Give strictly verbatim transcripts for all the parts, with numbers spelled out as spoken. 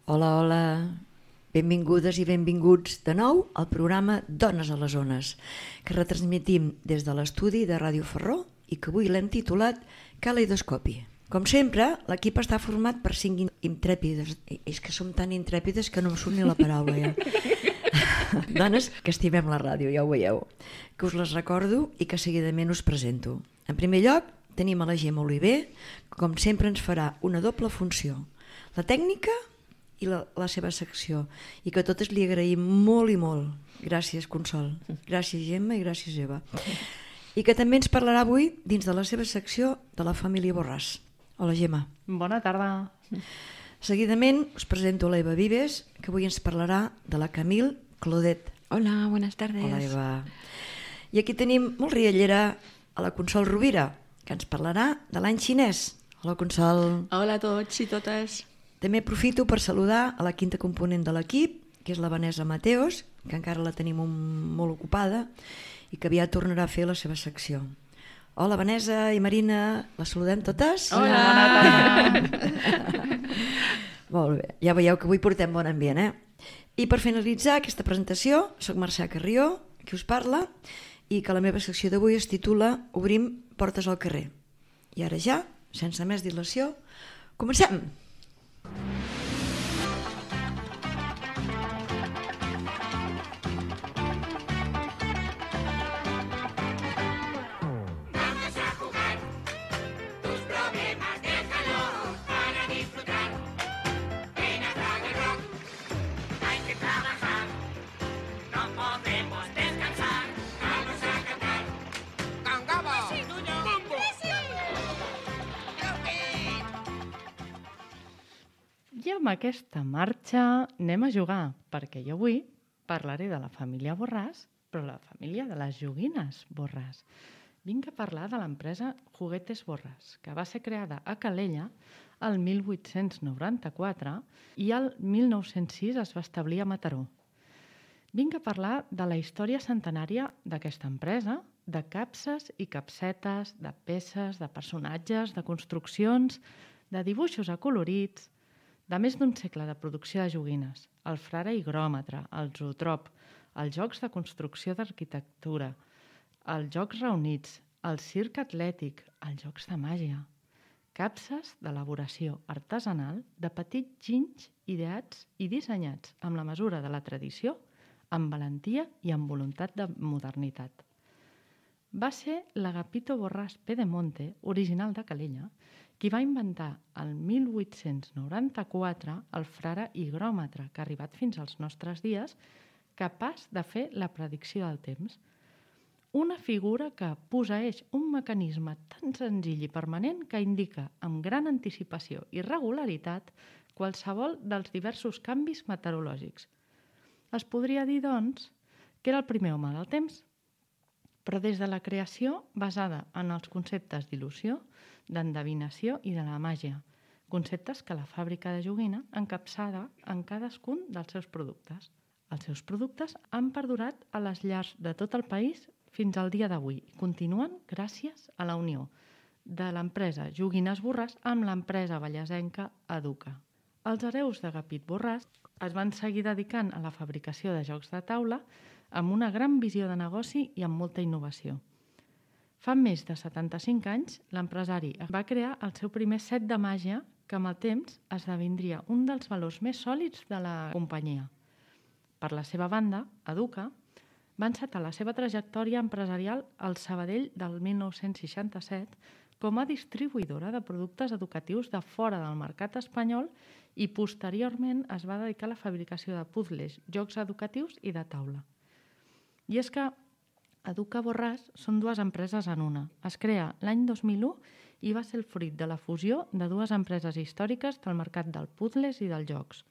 Hola, hola, benvingudes i benvinguts de nou al programa Dones a les Ones, que retransmetim des de l'estudi de Ràdio Ferró i que avui l'hem titulat Caleidoscopi. Com sempre, l'equip està format per cinc intrèpides, és que som tan intrèpides que no em surt ni la paraula ja. Dones que estimem la ràdio, ja ho veieu, que us les recordo i que seguidament us presento. En primer lloc, tenim a la Gemma Oliver, que com sempre ens farà una doble funció, la tècnica i la, la seva secció, i que totes li agraïm molt i molt. Gràcies, Consol. Gràcies, Gemma, i gràcies, Eva. I que també ens parlarà avui, dins de la seva secció, de la família Borràs. Hola, Gemma. Bona tarda. Seguidament us presento a l'Eva Vives, que avui ens parlarà de la Camille Claudet. Hola, buenas tardes. Hola, Eva. I aquí tenim molt riallera a la Consol Rovira, que ens parlarà de l'any xinès. Hola, Consol. Hola a tots i totes. També aprofito per saludar a la quinta component de l'equip, que és la Vanessa Mateos, que encara la tenim un, molt ocupada i que aviat tornarà a fer la seva secció. Hola, Vanessa i Marina, les saludem totes? Hola! Bona tarda! Molt bé, ja veieu que avui portem bon ambient, eh? I per finalitzar aquesta presentació, soc Mercè Carrió, qui us parla, i que la meva secció d'avui es titula Obrim portes al carrer. I ara ja, sense més dilació, comencem! I amb aquesta marxa anem a jugar, perquè jo avui parlaré de la família Borràs, però la família de les joguines Borràs. Vinc a parlar de l'empresa Juguetes Borràs, que va ser creada a Calella el mil vuit-cents noranta-quatre i el mil nou-cents sis es va establir a Mataró. Vinc a parlar de la història centenària d'aquesta empresa, de capses i capsetes, de peces, de personatges, de construccions, de dibuixos acolorits, de més d'un segle de producció de joguines, el frare higròmetre, el zootrop, els jocs de construcció d'arquitectura, els jocs reunits, el circ atlètic, els jocs de màgia, capses d'elaboració artesanal de petits ginys ideats i dissenyats amb la mesura de la tradició, amb valentia i amb voluntat de modernitat. Va ser l'Agapito Borràs Pedemonte, original de Calella, qui va inventar el mil vuit-cents noranta-quatre el frare higròmetre, que ha arribat fins als nostres dies, capaç de fer la predicció del temps. Una figura que posseeix un mecanisme tan senzill i permanent que indica amb gran anticipació i regularitat qualsevol dels diversos canvis meteorològics. Es podria dir, doncs, que era el primer home del temps, però des de la creació basada en els conceptes d'il·lusió, d'endevinació i de la màgia, conceptes que la fàbrica de joguina encapçada en cadascun dels seus productes. Els seus productes han perdurat a les llars de tot el país fins al dia d'avui i continuen gràcies a la unió de l'empresa Joguines Borràs amb l'empresa ballasenca Educa. Els hereus d'Agapit Borràs es van seguir dedicant a la fabricació de jocs de taula amb una gran visió de negoci i amb molta innovació. Fa més de setanta-cinc anys, l'empresari va crear el seu primer set de màgia que amb el temps esdevindria un dels valors més sòlids de la companyia. Per la seva banda, Educa va encetar la seva trajectòria empresarial al Sabadell del mil nou-cents seixanta-set com a distribuïdora de productes educatius de fora del mercat espanyol i posteriorment es va dedicar a la fabricació de puzles, jocs educatius i de taula. I és que Educa Borràs són dues empreses en una. Es crea l'any dos mil u i va ser el fruit de la fusió de dues empreses històriques del mercat dels puzles i dels jocs.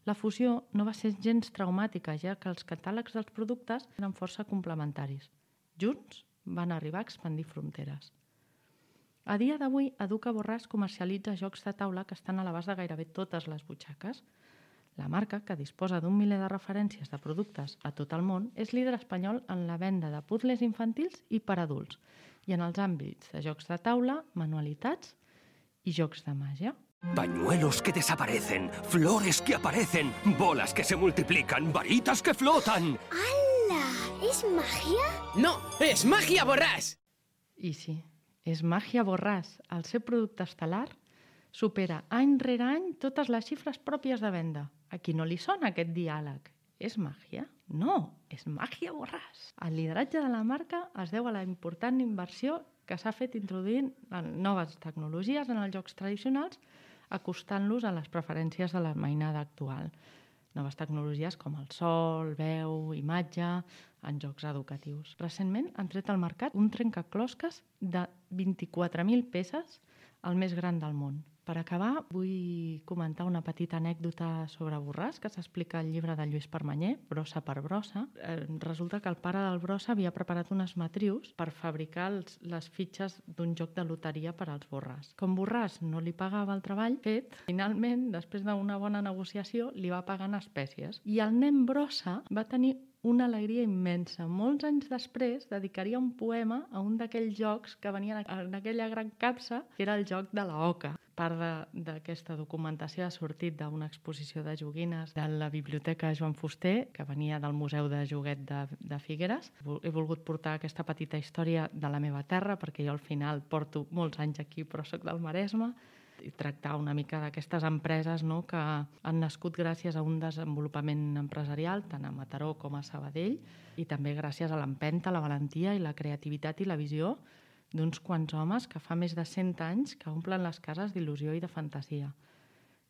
La fusió no va ser gens traumàtica, ja que els catàlegs dels productes eren força complementaris. Junts van arribar a expandir fronteres. A dia d'avui, Educa Borràs comercialitza jocs de taula que estan a l'abast de gairebé totes les butxaques. La marca, que disposa d'un miler de referències de productes a tot el món, és líder espanyol en la venda de puzles infantils i per adults i en els àmbits de jocs de taula, manualitats i jocs de màgia. Pañuelos que desaparecen, flores que aparecen, bolas que se multiplican, varitas que flotan. ¡Hala! ¿Es magia? No, és màgia Borràs! I sí, és Màgia Borràs. El seu producte estel·lar supera any rere any totes les xifres pròpies de venda. A qui no li sona aquest diàleg? És màgia? No, és Màgia Borràs. El lideratge de la marca es deu a la important inversió que s'ha fet introduint noves tecnologies en els jocs tradicionals, acostant-los a les preferències de la mainada actual. Noves tecnologies com el sol, veu, imatge, en jocs educatius. Recentment han tret al mercat un trencaclosques de vint-i-quatre mil peces, el més gran del món. Per acabar, vull comentar una petita anècdota sobre Borràs que s'explica al llibre de Lluís Permanyer, Brossa per brossa. Eh, resulta que el pare del Brossa havia preparat unes matrius per fabricar els, les fitxes d'un joc de loteria per als Borràs. Com Borràs no li pagava el treball fet, finalment, després d'una bona negociació, li va pagar en espècies. I el nen Brossa va tenir una alegria immensa. Molts anys després dedicaria un poema a un d'aquells jocs que venien en aquella gran capsa, que era el joc de la oca. Part d'aquesta documentació ha sortit d'una exposició de joguines de la Biblioteca Joan Fuster, que venia del Museu de Joguet de, de Figueres. He volgut portar aquesta petita història de la meva terra, perquè jo al final porto molts anys aquí, però soc del Maresme, i tractar una mica d'aquestes empreses, no?, que han nascut gràcies a un desenvolupament empresarial, tant a Mataró com a Sabadell, i també gràcies a l'empenta, la valentia i la creativitat i la visió d'uns quants homes que fa més de cent anys que omplen les cases d'il·lusió i de fantasia,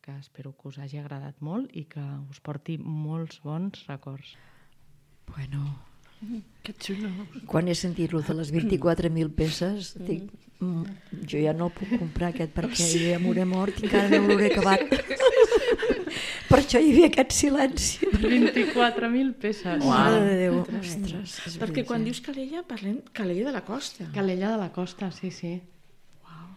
que espero que us hagi agradat molt i que us porti molts bons records. Bueno, Que xulo. quan he sentit lo de les vint-i-quatre mil peces, dic, mm, jo ja no puc comprar aquest perquè jo ja m'hauré mort i encara no l'hauré acabat. Per això hi havia aquest silenci. vint-i-quatre mil peces. Mare de Déu. Ostres, és Perquè quan veritat. dius Calella, parlem Calella de la Costa. Calella de la Costa, sí, sí.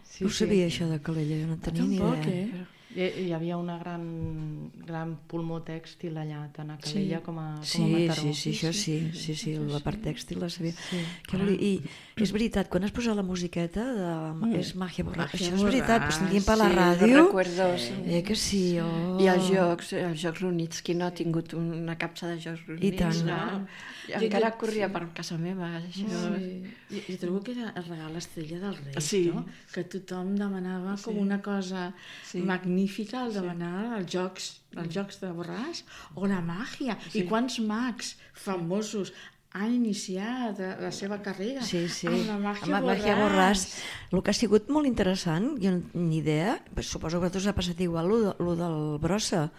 Sí, No ho sabia, això de Calella, jo no tenia ni Tampoc, idea. eh? Hi, hi havia una gran, gran pulmó tèxtil allà, tant a Calella Sí. com a, com a Sí, Mataró. sí, sí, això sí, sí, sí, la part tèxtil la sabia. Sí. Què volia- I és veritat, quan has posat la musiqueta de... és Màgia Borràs, Màgia això és veritat, però Borràs, sentíem per la sí, ràdio. els recuerdos. Eh que sí, oh. I els jocs, els jocs reunits. Qui no ha tingut una capsa de jocs reunits? tant. No? I Jo- encara jo- corria per casa meva, això. Sí. Jo, jo trobo que era el regal estrella del Reis, Sí. no? Que tothom demanava com una cosa Sí. magnífica al demanar els jocs, els jocs de Borràs o la màgia. I quants mags famosos han iniciat la seva carrera Sí, sí, amb la màgia amb la Borràs. Màgia Borràs. El que ha sigut molt interessant, jo no ni idea, pues suposo que a tu us ha passat igual, lo, de, lo del Brossa.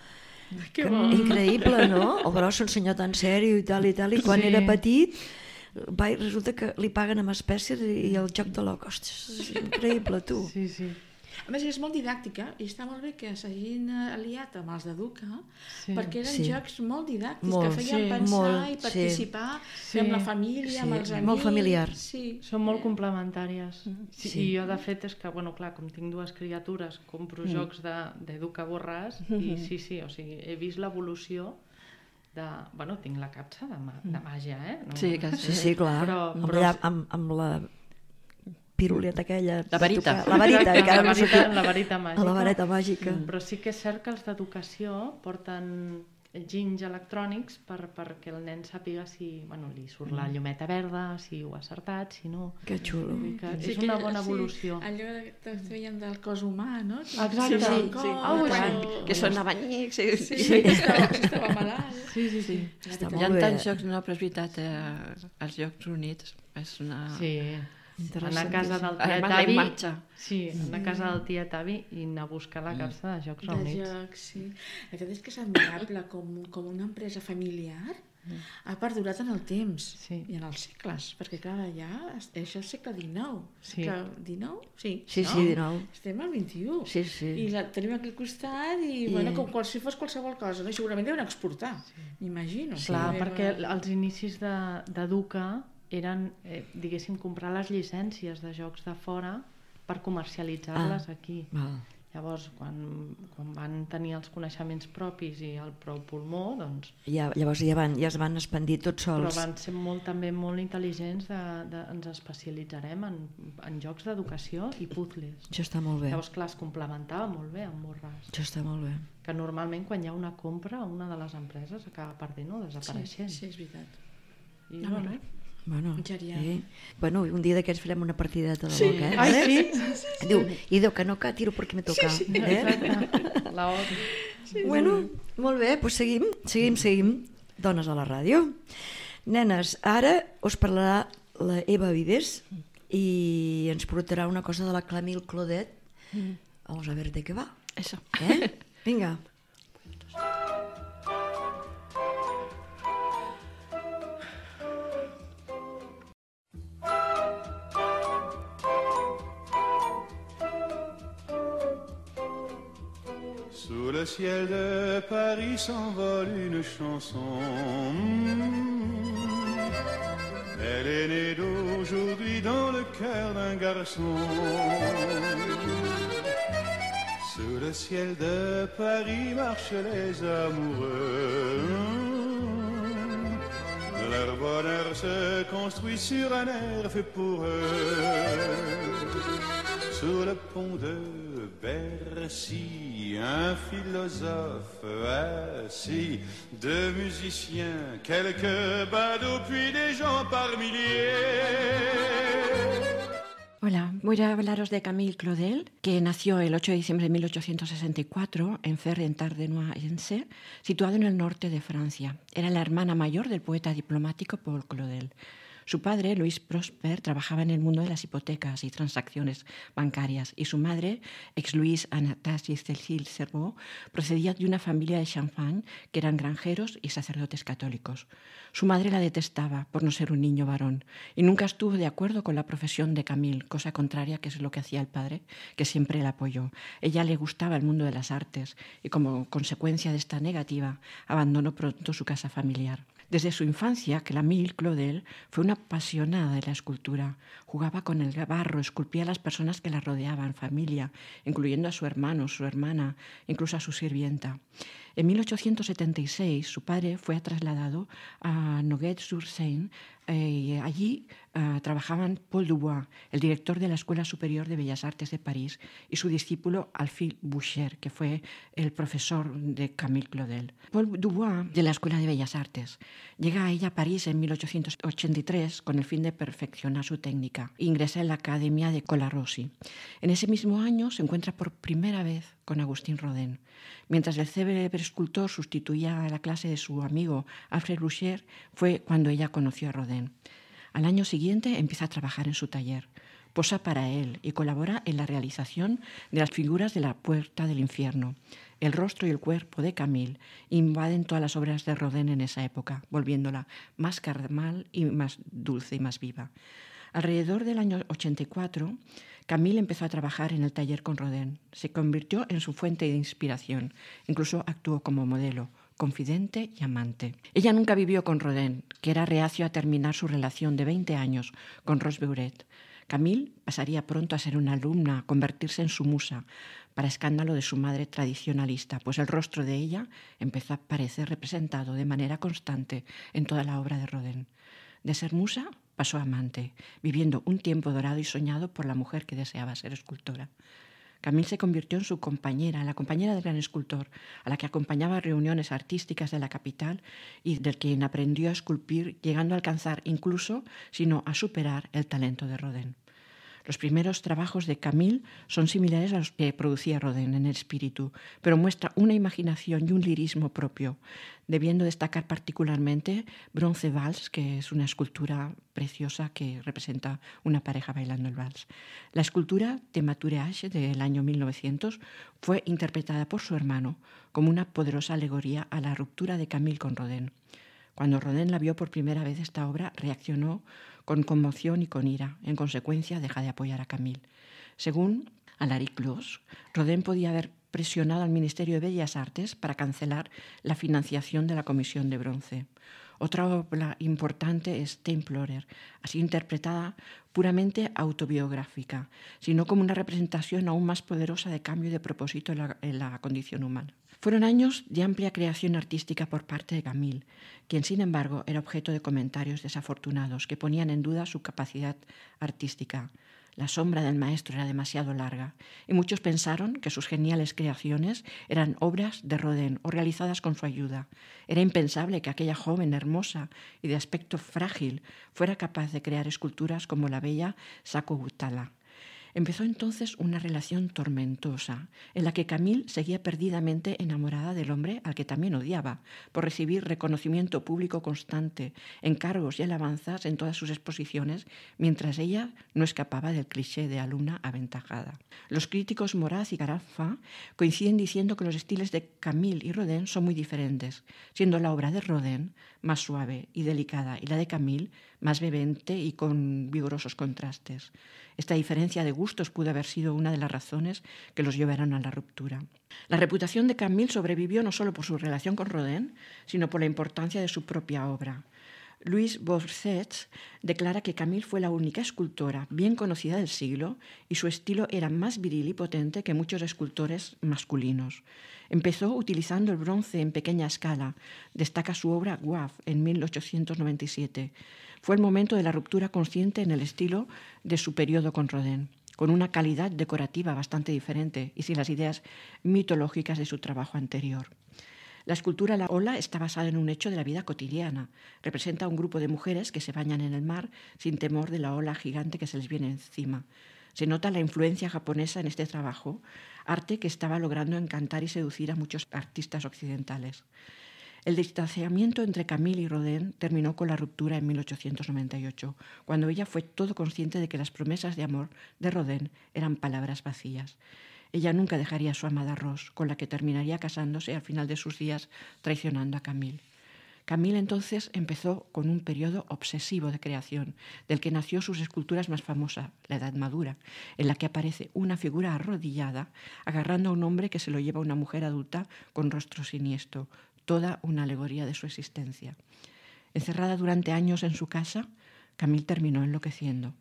Que Que- bo. Increïble, no? El Brossa, un senyor tan sèrio i tal i tal, i quan Sí. era petit va, i resulta que li paguen amb espècies i, i el joc de l'oca. Ostres, és increïble, tu. Sí, sí. A més, és molt didàctica i està molt bé que s'hagin aliat amb els d'Educa, Sí. perquè eren Sí. jocs molt didàctics, Molt, que feien sí, pensar molt, i sí. participar Sí. amb la família, amb Sí, els amics. molt familiar. Sí. Són molt complementàries. Sí, Sí. I jo, de fet, és que, bueno, clar, com tinc dues criatures, compro mm. jocs d'Educa Borràs i sí, sí, o sigui, he vist l'evolució de... Bueno, tinc la capsa de, ma de màgia, eh? No, Sí, que Sí, sí, clar, Però- amb, però- la, amb, amb la piruleta aquella. La varita. de tocar- La varita, Exacte, encara la no sé varita, què. la varita màgica. La vareta màgica. Però sí que és cert que els d'educació porten ginys electrònics per, perquè el nen sàpiga si bueno, li surt la llumeta verda, si ho ha acertat, si no. Que xulo. Vull dir que Sí, és que- una bona sí, evolució. allò que feien del cos humà, no? Exacte. Sí, Sí, sí, Sí, Ah, oh, tant. això- que són abanycs. Sí, Sí, sí. sí. Estava, estava malalt. Sí, sí, sí. Està Hi molt ha bé. tants jocs, no, però és veritat, eh, els jocs units és una... Sí. Anar a casa del Además, tiet la avi... imatge. Sí, anar a casa del tiet avi i anar a buscar la capsa de jocs De reunits. jocs, sí. La veritat és que és admirable com, com una empresa familiar ha perdurat en el temps Sí. i en els segles, perquè clar, ja això és el segle dinou. Sí. Segle dinou? Sí, Sí, no? sí, dinou. Estem al vint-i-u. Sí, sí. I la tenim aquí al costat i, I- bueno, com qual, si fos qualsevol cosa, no? I segurament deuen exportar, m'imagino. Clar, Sí. perquè els inicis de- d'Educa eren, eh, diguéssim, comprar les llicències de jocs de fora per comercialitzar-les Ah. aquí. Val. Llavors, quan, quan van tenir els coneixements propis i el prou pulmó, doncs... Ja, llavors ja, van, ja es van expandir tots sols. Però van ser molt, també molt intel·ligents, de, de, ens especialitzarem en, en jocs d'educació i puzzles. Això està molt bé. Llavors, clar, es complementava molt bé amb Borràs. Això està molt bé. Que normalment quan hi ha una compra, una de les empreses acaba perdent o desapareixent. Sí, sí, és veritat. I, No, bueno, no. Bueno, Genial. sí. Bueno, un dia d'aquests farem una partideta de Sí. l'O C, eh? Ai, ¿vale? sí? Diu, i diu que no, que tiro perquè me toca. Sí, sí. Eh? Exacte, la odio. Bueno, molt bé, doncs seguim, seguim, seguim. Dones a la ràdio. Nenes, ara us parlarà la Eva Vives i ens portarà una cosa de la Camille Claudel. Vamos a ver de què va. Eso. Eh? Vinga. Sous le ciel de Paris s'envole une chanson. Elle est née d'aujourd'hui dans le cœur d'un garçon. Sous le ciel de Paris marchent les amoureux. Leur bonheur se construit sur un air fait pour eux. Sur le pont de Bercy, un philosophe assis, deux musiciens, quelques badauds, puis des gens par milliers. Hola, voy a hablaros de Camille Claudel, que nació el ocho de diciembre de mil ochocientos sesenta y cuatro en Fère-en-Tardenois-Ense, situado en el norte de Francia. Era la hermana mayor del poeta diplomático Paul Claudel. Su padre, Louis Prosper, trabajaba en el mundo de las hipotecas y transacciones bancarias, y su madre, ex-Louise Anastasie Cécile Serveau, procedía de una familia de Champagne que eran granjeros y sacerdotes católicos. Su madre la detestaba por no ser un niño varón y nunca estuvo de acuerdo con la profesión de Camille, cosa contraria que es lo que hacía el padre, que siempre la apoyó. Ella le gustaba el mundo de las artes y como consecuencia de esta negativa abandonó pronto su casa familiar. Desde su infancia, Camille Claudel fue una apasionada de la escultura. Jugaba con el barro, esculpía a las personas que la rodeaban, familia, incluyendo a su hermano, su hermana, incluso a su sirvienta. En mil ochocientos setenta y seis, su padre fue trasladado a Nogent-sur-Seine eh, y allí eh, trabajaban Paul Dubois, el director de la Escuela Superior de Bellas Artes de París, y su discípulo Alphille Boucher, que fue el profesor de Camille Claudel. Paul Dubois, de la Escuela de Bellas Artes, llega a ella a París en mil ochocientos ochenta y tres con el fin de perfeccionar su técnica e ingresa en la Academia de Colarossi. En ese mismo año se encuentra por primera vez con Agustín Rodin. Mientras el célebre escultor sustituía a la clase de su amigo Alfred Boucher, fue cuando ella conoció a Rodin. Al año siguiente empieza a trabajar en su taller. Posa para él y colabora en la realización de las figuras de la Puerta del Infierno. El rostro y el cuerpo de Camille invaden todas las obras de Rodin en esa época, volviéndola más carnal y más dulce y más viva. Alrededor del año ochenta y cuatro, Camille empezó a trabajar en el taller con Rodin. Se convirtió en su fuente de inspiración. Incluso actuó como modelo, confidente y amante. Ella nunca vivió con Rodin, que era reacio a terminar su relación de veinte años con Rose Beuret. Camille pasaría pronto a ser una alumna, a convertirse en su musa, para escándalo de su madre tradicionalista, pues el rostro de ella empezó a aparecer representado de manera constante en toda la obra de Rodin. De ser musa pasó a amante, viviendo un tiempo dorado y soñado por la mujer que deseaba ser escultora. Camille se convirtió en su compañera, la compañera del gran escultor, a la que acompañaba a reuniones artísticas de la capital y del quien aprendió a esculpir, llegando a alcanzar incluso, si no a superar, el talento de Rodin. Los primeros trabajos de Camille son similares a los que producía Rodin en el espíritu, pero muestra una imaginación y un lirismo propio, debiendo destacar particularmente Bronze Vals, que es una escultura preciosa que representa una pareja bailando el vals. La escultura de Matureage del año mil novecientos fue interpretada por su hermano como una poderosa alegoría a la ruptura de Camille con Rodin. Cuando Rodin la vio por primera vez esta obra, reaccionó con conmoción y con ira. En consecuencia, deja de apoyar a Camille. Según Alaric Clos, Rodin podía haber presionado al Ministerio de Bellas Artes para cancelar la financiación de la Comisión de Bronce. Otra obra importante es Templorer, así interpretada puramente autobiográfica, sino como una representación aún más poderosa de cambio y de propósito en la, en la condición humana. Fueron años de amplia creación artística por parte de Camille, quien sin embargo era objeto de comentarios desafortunados que ponían en duda su capacidad artística. La sombra del maestro era demasiado larga y muchos pensaron que sus geniales creaciones eran obras de Rodin o realizadas con su ayuda. Era impensable que aquella joven hermosa y de aspecto frágil fuera capaz de crear esculturas como la bella Sacco Guttala. Empezó entonces una relación tormentosa, en la que Camille seguía perdidamente enamorada del hombre al que también odiaba, por recibir reconocimiento público constante, encargos y alabanzas en todas sus exposiciones, mientras ella no escapaba del cliché de alumna aventajada. Los críticos Moraz y Carafa coinciden diciendo que los estilos de Camille y Rodin son muy diferentes, siendo la obra de Rodin más suave y delicada y la de Camille más vehemente y con vigorosos contrastes. Esta diferencia de gustos pudo haber sido una de las razones que los llevaron a la ruptura. La reputación de Camille sobrevivió no solo por su relación con Rodin, sino por la importancia de su propia obra. Louis Bourset declara que Camille fue la única escultora bien conocida del siglo y su estilo era más viril y potente que muchos escultores masculinos. Empezó utilizando el bronce en pequeña escala. Destaca su obra Guave en mil ochocientos noventa y siete. Fue el momento de la ruptura consciente en el estilo de su periodo con Rodin, con una calidad decorativa bastante diferente y sin las ideas mitológicas de su trabajo anterior. La escultura La Ola está basada en un hecho de la vida cotidiana. Representa a un grupo de mujeres que se bañan en el mar sin temor de la ola gigante que se les viene encima. Se nota la influencia japonesa en este trabajo, arte que estaba logrando encantar y seducir a muchos artistas occidentales. El distanciamiento entre Camille y Rodin terminó con la ruptura en mil ochocientos noventa y ocho, cuando ella fue todo consciente de que las promesas de amor de Rodin eran palabras vacías. Ella nunca dejaría a su amada Rose, con la que terminaría casándose al final de sus días, traicionando a Camille. Camille entonces empezó con un periodo obsesivo de creación, del que nació sus esculturas más famosas, la Edad Madura, en la que aparece una figura arrodillada, agarrando a un hombre que se lo lleva a una mujer adulta con rostro siniestro, toda una alegoría de su existencia. Encerrada durante años en su casa, Camille terminó enloqueciendo.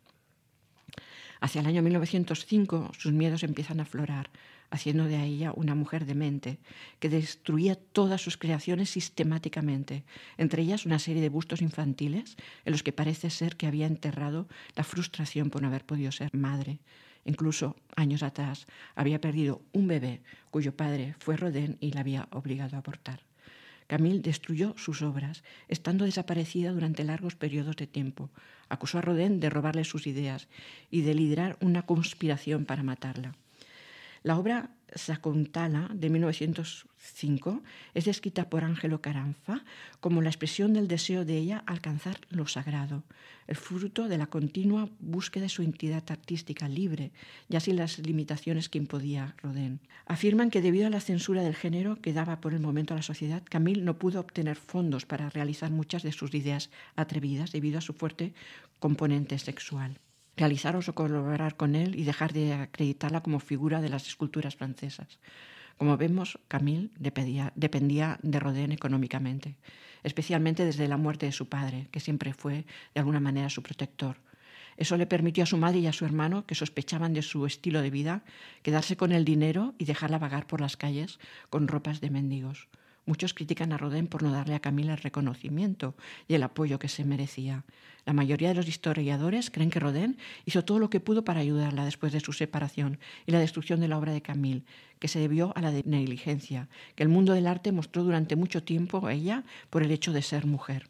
Hacia el año mil novecientos cinco sus miedos empiezan a aflorar, haciendo de ella una mujer demente, que destruía todas sus creaciones sistemáticamente, entre ellas una serie de bustos infantiles en los que parece ser que había enterrado la frustración por no haber podido ser madre. Incluso, años atrás, había perdido un bebé cuyo padre fue Rodin y la había obligado a abortar. Camille destruyó sus obras, estando desaparecida durante largos periodos de tiempo. Acusó a Rodin de robarle sus ideas y de liderar una conspiración para matarla. La obra Sacco Guttala de mil novecientos cinco es descrita por Angelo Caranfa como la expresión del deseo de ella alcanzar lo sagrado, el fruto de la continua búsqueda de su entidad artística libre, ya sin las limitaciones que imponía Rodin. Afirman que debido a la censura del género que daba por el momento a la sociedad, Camille no pudo obtener fondos para realizar muchas de sus ideas atrevidas debido a su fuerte componente sexual. Realizar o colaborar con él y dejar de acreditarla como figura de las esculturas francesas. Como vemos, Camille dependía, dependía de Rodin económicamente, especialmente desde la muerte de su padre, que siempre fue de alguna manera su protector. Eso le permitió a su madre y a su hermano, que sospechaban de su estilo de vida, quedarse con el dinero y dejarla vagar por las calles con ropas de mendigos. Muchos critican a Rodin por no darle a Camille el reconocimiento y el apoyo que se merecía. La mayoría de los historiadores creen que Rodin hizo todo lo que pudo para ayudarla después de su separación y la destrucción de la obra de Camille, que se debió a la negligencia que el mundo del arte mostró durante mucho tiempo a ella por el hecho de ser mujer.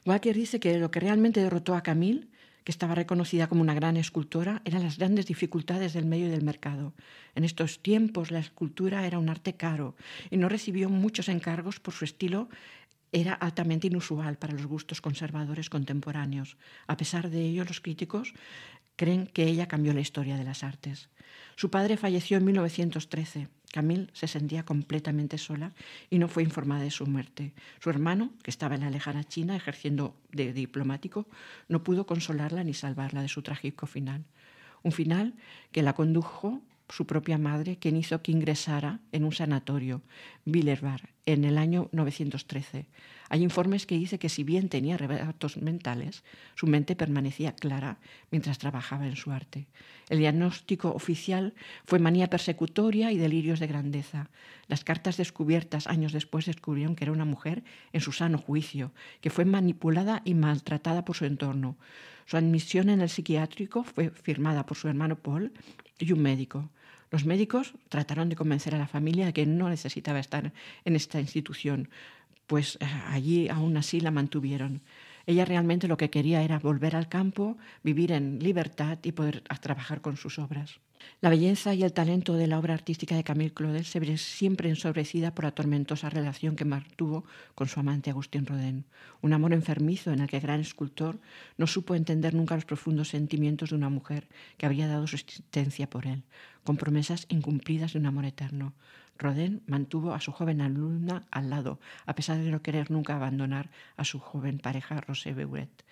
Walker dice que lo que realmente derrotó a Camille, que estaba reconocida como una gran escultora, eran las grandes dificultades del medio y del mercado. En estos tiempos la escultura era un arte caro y no recibió muchos encargos por su estilo. Era altamente inusual para los gustos conservadores contemporáneos. A pesar de ello, los críticos creen que ella cambió la historia de las artes. Su padre falleció en mil novecientos trece. Camille se sentía completamente sola y no fue informada de su muerte. Su hermano, que estaba en la lejana China ejerciendo de diplomático, no pudo consolarla ni salvarla de su trágico final. Un final que la condujo su propia madre, quien hizo que ingresara en un sanatorio, Willerbar, en el año novecientos trece. Hay informes que dicen que si bien tenía arrebatos mentales, su mente permanecía clara mientras trabajaba en su arte. El diagnóstico oficial fue manía persecutoria y delirios de grandeza. Las cartas descubiertas años después descubrieron que era una mujer en su sano juicio, que fue manipulada y maltratada por su entorno. Su admisión en el psiquiátrico fue firmada por su hermano Paul y un médico. Los médicos trataron de convencer a la familia de que no necesitaba estar en esta institución, pues allí aún así la mantuvieron. Ella realmente lo que quería era volver al campo, vivir en libertad y poder trabajar con sus obras. La belleza y el talento de la obra artística de Camille Claudel se ve siempre ensobrecida por la tormentosa relación que mantuvo con su amante Agustín Rodin. Un amor enfermizo en el que el gran escultor no supo entender nunca los profundos sentimientos de una mujer que habría dado su existencia por él, con promesas incumplidas de un amor eterno. Rodin mantuvo a su joven alumna al lado, a pesar de no querer nunca abandonar a su joven pareja Rosé Beuret.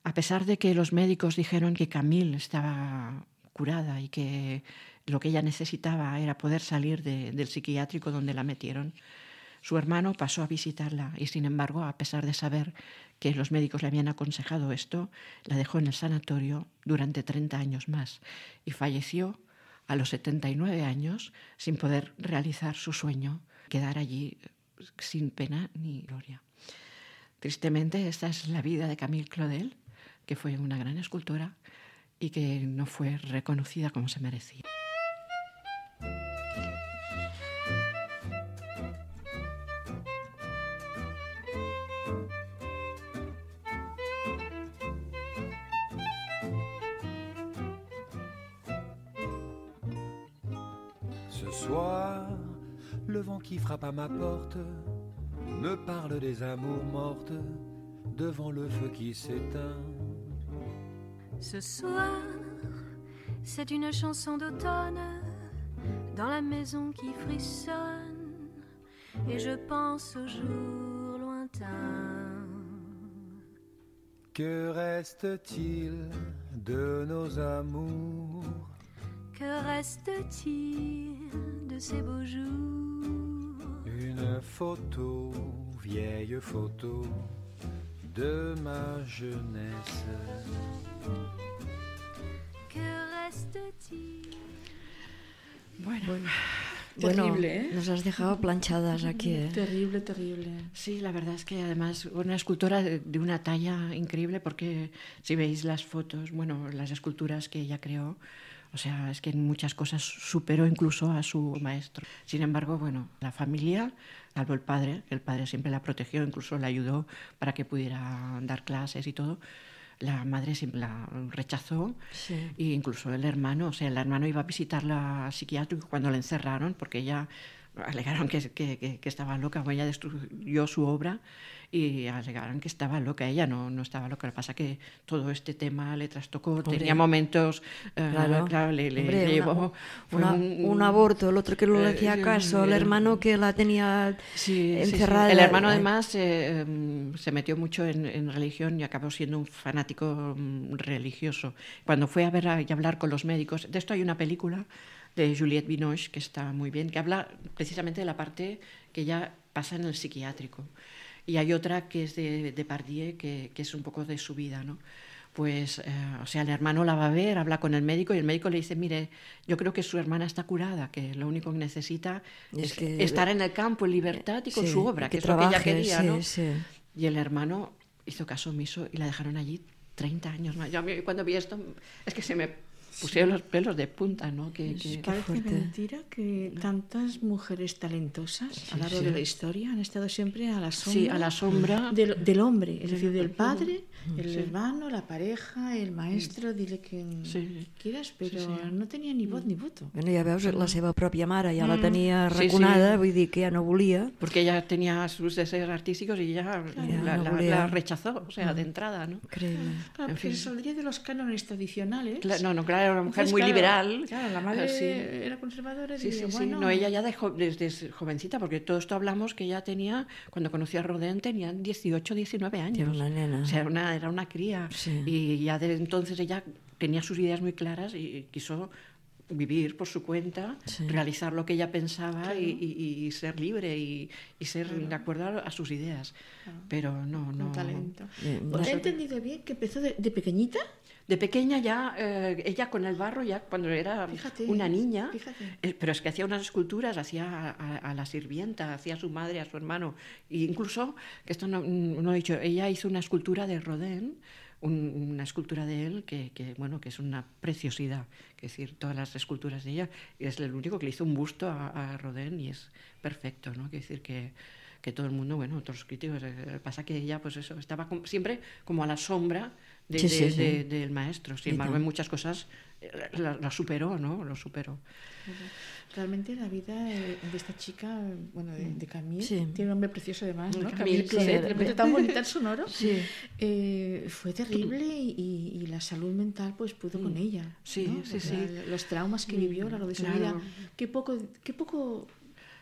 A pesar de que los médicos dijeron que Camille estaba curada y que lo que ella necesitaba era poder salir de, del psiquiátrico donde la metieron, su hermano pasó a visitarla y, sin embargo, a pesar de saber que los médicos le habían aconsejado esto, la dejó en el sanatorio durante treinta años más y falleció a los setenta y nueve años sin poder realizar su sueño, quedar allí sin pena ni gloria. Tristemente, esta es la vida de Camille Claudel, que fue una gran escultora y que no fue reconocida como se merecía. Ce soir, le vent qui frappe à ma porte me parle des amours mortes devant le feu qui s'éteint. Ce soir, c'est une chanson d'automne dans la maison qui frissonne et je pense aux jours lointains. Que reste-t-il de nos amours? Que reste-t-il de ces beaux jours? Une photo, vieille photo de ma jeunesse. Que reste-t-il? Bueno, Terrible, bueno, ¿eh? Nos has dejado planchadas aquí, ¿eh? Terrible, terrible. Sí, la verdad es que además una escultora de, de una talla increíble, porque si veis las fotos, bueno, las esculturas que ella creó, o sea, es que en muchas cosas superó incluso a su maestro. Sin embargo, bueno, la familia, salvo el padre, el padre siempre la protegió, incluso la ayudó para que pudiera dar clases y todo. La madre siempre la rechazó, sí. E incluso el hermano, o sea, el hermano iba a visitarla al psiquiátrico cuando la encerraron, porque ella alegaron que, que, que, que estaba loca, o ella destruyó su obra y alegaron que estaba loca. Ella no, no estaba loca, lo que pasa es que todo este tema le trastocó, hombre, tenía momentos, eh, claro, claro, le, le, hombre, le llevó... Una, un, un aborto, el otro que no le hacía eh, caso, el, el hermano que la tenía sí, encerrada. Sí, sí. El hermano además eh, eh, se metió mucho en, en religión y acabó siendo un fanático um, religioso. Cuando fue a ver a, y hablar con los médicos, de esto hay una película de Juliette Binoche, que está muy bien, que habla precisamente de la parte que ya pasa en el psiquiátrico. Y hay otra que es de, de Pardieu, que, que es un poco de su vida, ¿no? Pues, eh, o sea, el hermano la va a ver, habla con el médico y el médico le dice, mire, yo creo que su hermana está curada, que lo único que necesita es, es que, estar en el campo en libertad y con sí, su obra, que, que es trabaje, lo que ella quería, sí, ¿no? Sí. Y el hermano hizo caso omiso y la dejaron allí treinta años más. Yo cuando vi esto, es que se me pusieron los pelos de punta, ¿no? Que, que, parece mentira que tantas mujeres talentosas sí, a lo largo sí. de la historia han estado siempre a la sombra, sí, a la sombra del, del hombre, es decir, del padre, el sí. hermano, la pareja, el maestro, dile quien sí. quieras, però sí, sí. no tenia ni vot ni voto. Bueno, ja veus, la seva pròpia mare ja mm. la tenia raconada, sí, sí. vull dir que ja no volia. Porque ella tenía sus deseos artísticos y ella claro, la, no la, la rechazó, o sea, mm. de entrada, ¿no? Increíble. Claro, en fin. Se saldría de los cánones tradicionales. Claro, no, no, claro, era una mujer Entonces, muy claro, liberal. Claro, la madre sí. era conservadora. Sí, diría, sí, bueno... sí. No, ella ya dejó desde jovencita, porque todo esto hablamos que ella tenía, cuando conoció a Rodin, tenía dieciocho, diecinueve años. Era una nena. O sea, era una, era una cría. Sí. Y ya desde entonces ella tenía sus ideas muy claras y quiso vivir por su cuenta, sí. realizar lo que ella pensaba claro. y, y, y ser libre y, y ser claro. de acuerdo a sus ideas. Claro. Pero no, no. Un talento. Bien, ¿He entendido bien que empezó de, de pequeñita? De pequeña ya, eh, ella con el barro, ya cuando era fíjate, una niña, eh, pero es que hacía unas esculturas, hacía a, a, a la sirvienta, hacía a su madre, a su hermano, e incluso, que esto no, no he dicho, ella hizo una escultura de Rodin, un, una escultura de él que, que, bueno, que es una preciosidad, es decir, todas las esculturas de ella, es el único que le hizo un busto a, a Rodin y es perfecto, ¿no? Quiere decir que que todo el mundo, bueno, todos los críticos, eh, pasa que ella, pues eso, estaba como, siempre como a la sombra de, sí, de, sí, sí. De, de, del maestro. Sin embargo, en muchas cosas eh, la, la superó, ¿no? Lo superó. Realmente la vida de esta chica, bueno, de, de Camille, sí. tiene un nombre precioso además, ¿no? Camille, Camille Claudel, sí. tan bonita, tan sonoro. Sí. Eh, fue terrible y, y la salud mental pues pudo mm. con ella. Sí, ¿no? sí, o sea, sí. Los traumas que vivió a lo largo de su claro. vida, qué poco, qué poco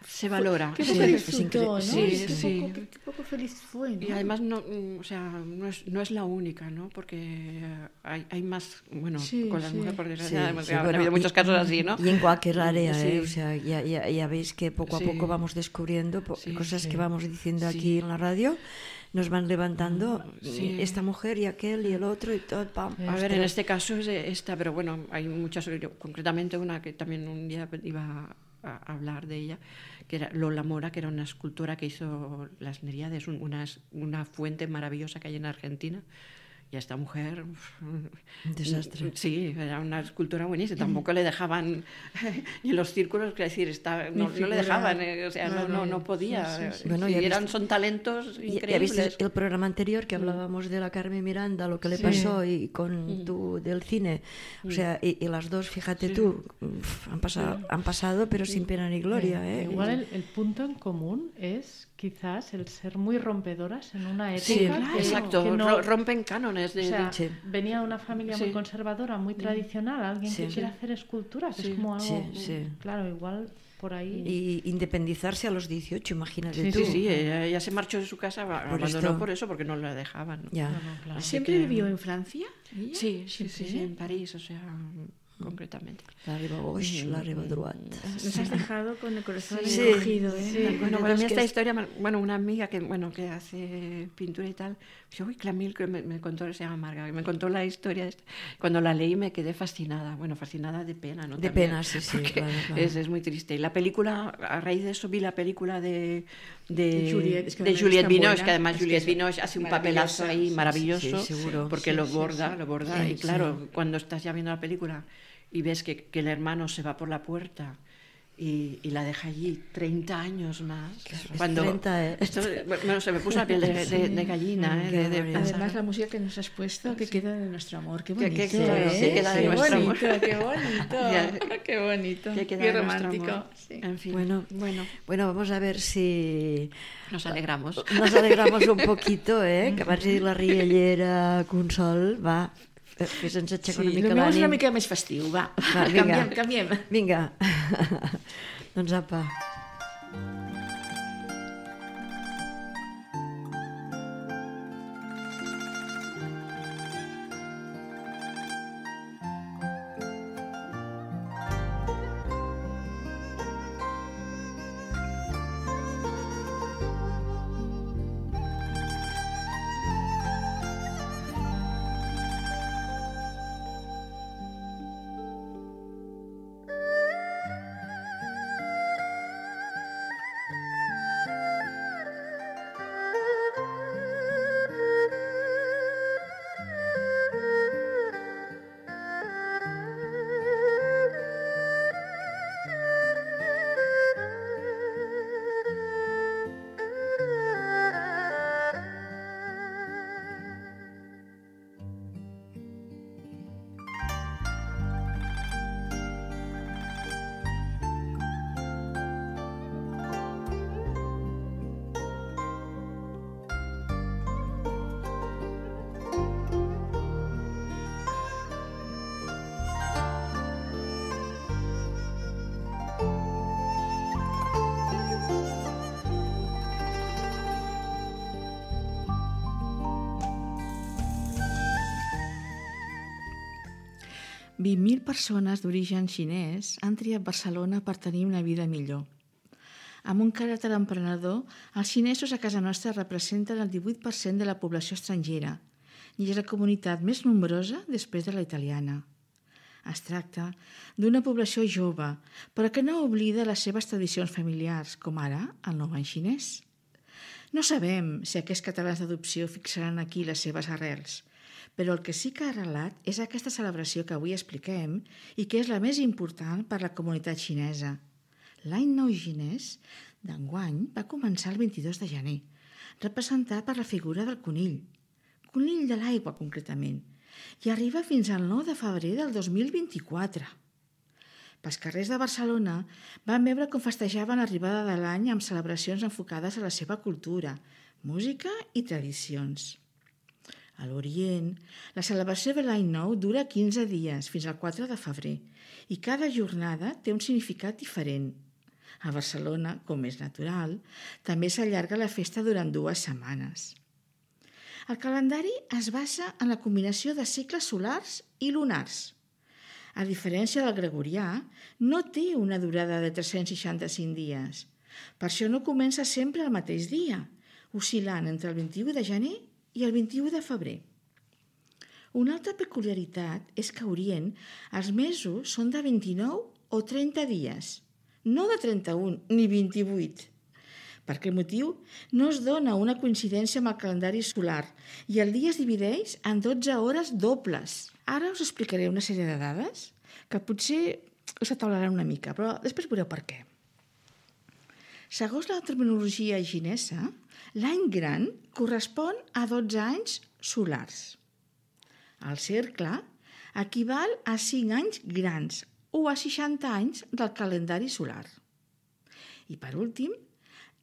se valora. Qué poco sí, disfrutó, ¿no? Sí, qué, sí. Poco, qué, qué poco feliz fue, ¿no? Y además no, o sea, no es, no es la única, ¿no? Porque hay, hay más, bueno, sí, con las sí. mujeres, por desgracia, sí, sí, ha bueno, habido muchos y, casos así, ¿no? Y en cualquier área, sí. ¿eh? O sea, ya, ya, ya veis que poco a sí. poco vamos descubriendo po sí, cosas sí. que vamos diciendo sí. aquí en la radio. Nos van levantando sí. esta mujer y aquel y el otro y todo. Pam, a ver, en este caso es esta, pero bueno, hay muchas, yo, concretamente una que también un día iba a hablar de ella, que era Lola Mora, que era una escultora que hizo las Neríades, una, una fuente maravillosa que hay en Argentina. Y a esta mujer... Un desastre. Sí, era una escultura buenísima. Tampoco le dejaban ni en los círculos, es decir, está, no, no le dejaban, eh, o sea, no, no, no podía. Sí, sí, sí. Bueno, y eran, son talentos increíbles. Ya viste el programa anterior que hablábamos de la Carmen Miranda, lo que le sí. pasó, y con mm. tú del cine. O sea, y, y las dos, fíjate sí. tú, han pasado, sí. han pasado pero sí. sin pena ni gloria. Sí. ¿eh? Igual el, el punto en común es quizás el ser muy rompedoras en una época. Sí, claro, que, exacto, que no, rompen cánones. De, o sea, de... Sí. venía una familia sí. muy conservadora, muy tradicional, alguien sí. que quiere hacer escultura, que sí. es como algo, sí, sí. claro, igual por ahí. Y independizarse a los dieciocho, imagínate sí, tú. Sí, sí, ella, ella se marchó de su casa, por abandonó esto. por eso, porque no la dejaban. ¿no? Ya. No, no, claro. ¿Siempre que... vivió en Francia? ¿Ella? Sí, sí, sí, sí, en París, o sea... concretamente. La riba gauche, la riba droite. Nos has dejado con el corazón sí, encogido, ¿eh? Sí, bueno, para mí esta es... historia, bueno, una amiga que, bueno, que hace pintura y tal, yo, uy, Camille, que me, me contó, se llama Marga, que me contó la historia de esta. Cuando la leí me quedé fascinada, bueno, fascinada de pena, ¿no? De También, pena, sí, sí, claro, claro. Es, es muy triste. Y la película, a raíz de eso vi la película de, de, de Juliette, es que de Juliette Binoche, que además es Juliette que Binoche hace un papelazo ahí maravilloso, sí, seguro. porque sí, lo sí, borda, sí. lo borda, Sí, y claro, sí. cuando estás ya viendo la película y ves que, que el hermano se va por la puerta y, y la deja allí treinta años más. Cuando treinta, ¿eh? esto, bueno, se me puso la piel de, de, de, de gallina. ¿eh? De, de Además, la música que nos has puesto, que queda de nuestro amor. Qué bonito. Que, que, que, ¿eh? que queda de qué nuestro bonito, amor. Qué bonito, qué bonito. Que queda qué de romántico. Sí. En fin, bueno, bueno. bueno, vamos a ver si... Nos alegramos. Nos alegramos un poquito, eh? Que abans de dir la riallera Consol, va... Fes ens aixecar sí, una mica l'ànim. Sí, una mica més festiu, va. va canviem, canviem. Vinga. Doncs apa. vint mil persones d'origen xinès han triat Barcelona per tenir una vida millor. Amb un caràcter emprenedor, els xinesos a casa nostra representen el divuit per cent de la població estrangera i és la comunitat més nombrosa després de la italiana. Es tracta d'una població jove, però que no oblida les seves tradicions familiars, com ara el nou any xinès. No sabem si aquests catalans d'adopció fixaran aquí les seves arrels, però el que sí que ha arrelat és aquesta celebració que avui expliquem i que és la més important per a la comunitat xinesa. L'any nou xinès d'enguany va començar el vint-i-dos de gener, representat per la figura del conill, conill de l'aigua concretament, i arriba fins al nou de febrer del dos mil vint-i-quatre. Pels carrers de Barcelona van veure com festejaven l'arribada de l'any amb celebracions enfocades a la seva cultura, música i tradicions. A l'Orient, la celebració de l'any nou dura quinze dies, fins al quatre de febrer, i cada jornada té un significat diferent. A Barcelona, com és natural, també s'allarga la festa durant dues setmanes. El calendari es basa en la combinació de cicles solars i lunars. A diferència del gregorià, no té una durada de tres-cents seixanta-cinc dies. Per això no comença sempre el mateix dia, oscil·lant entre el vint-i-u de gener i el vint-i-u de febrer. Una altra peculiaritat és que a Orient els mesos són de vint-i-nou o trenta dies, no de trenta-un ni vint-i-vuit. Per aquest motiu, no es dona una coincidència amb el calendari solar i el dia es divideix en dotze hores dobles. Ara us explicaré una sèrie de dades que potser us ataularan una mica, però després veureu per què. Segons la terminologia xinesa, l'any gran correspon a dotze anys solars. El cercle equival a cinc anys grans o a seixanta anys del calendari solar. I per últim,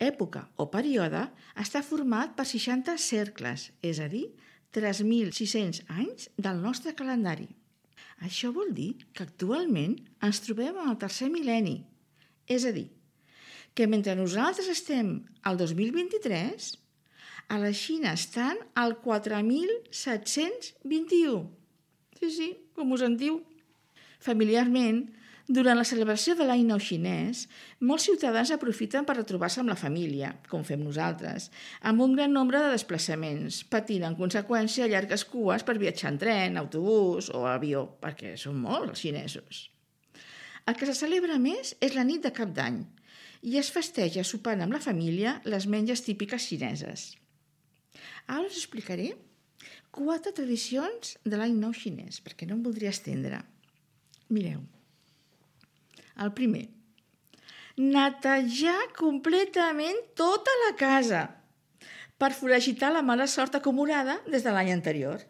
època o període està format per seixanta cercles, és a dir, tres mil sis-cents anys del nostre calendari. Això vol dir que actualment ens trobem en el tercer mil·lenni, és a dir, que mentre nosaltres estem al dos mil vint-i-tres, a la Xina estan al quatre mil set-cents vint-i-u. Sí, sí, com us en diu. Familiarment, durant la celebració de l'any nou xinès, molts ciutadans aprofiten per retrobar-se amb la família, com fem nosaltres, amb un gran nombre de desplaçaments, patint en conseqüència llargues cues per viatjar en tren, autobús o avió, perquè són molts els xinesos. El que se celebra més és la nit de Cap d'Any i es festeja sopant amb la família les menges típiques xineses. Ara us explicaré quatre tradicions de l'any nou xinès, perquè no em voldria estendre. Mireu. El primer, netejar completament tota la casa per foragitar la mala sort acumulada des de l'any anterior.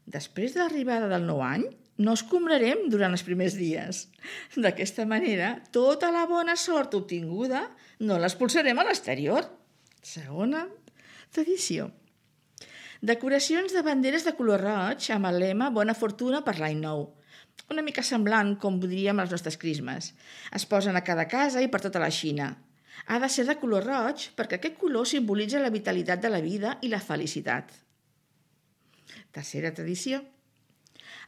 Després de l'arribada del nou any, no escombrarem durant els primers dies. D'aquesta manera, tota la bona sort obtinguda no l'expulsarem a l'exterior. Segona tradició. Decoracions de banderes de color roig amb el lema Bona fortuna per l'any nou. Una mica semblant com diríem les nostres crismes. Es posen a cada casa i per tota la Xina. Ha de ser de color roig perquè aquest color simbolitza la vitalitat de la vida i la felicitat. Tercera tradició.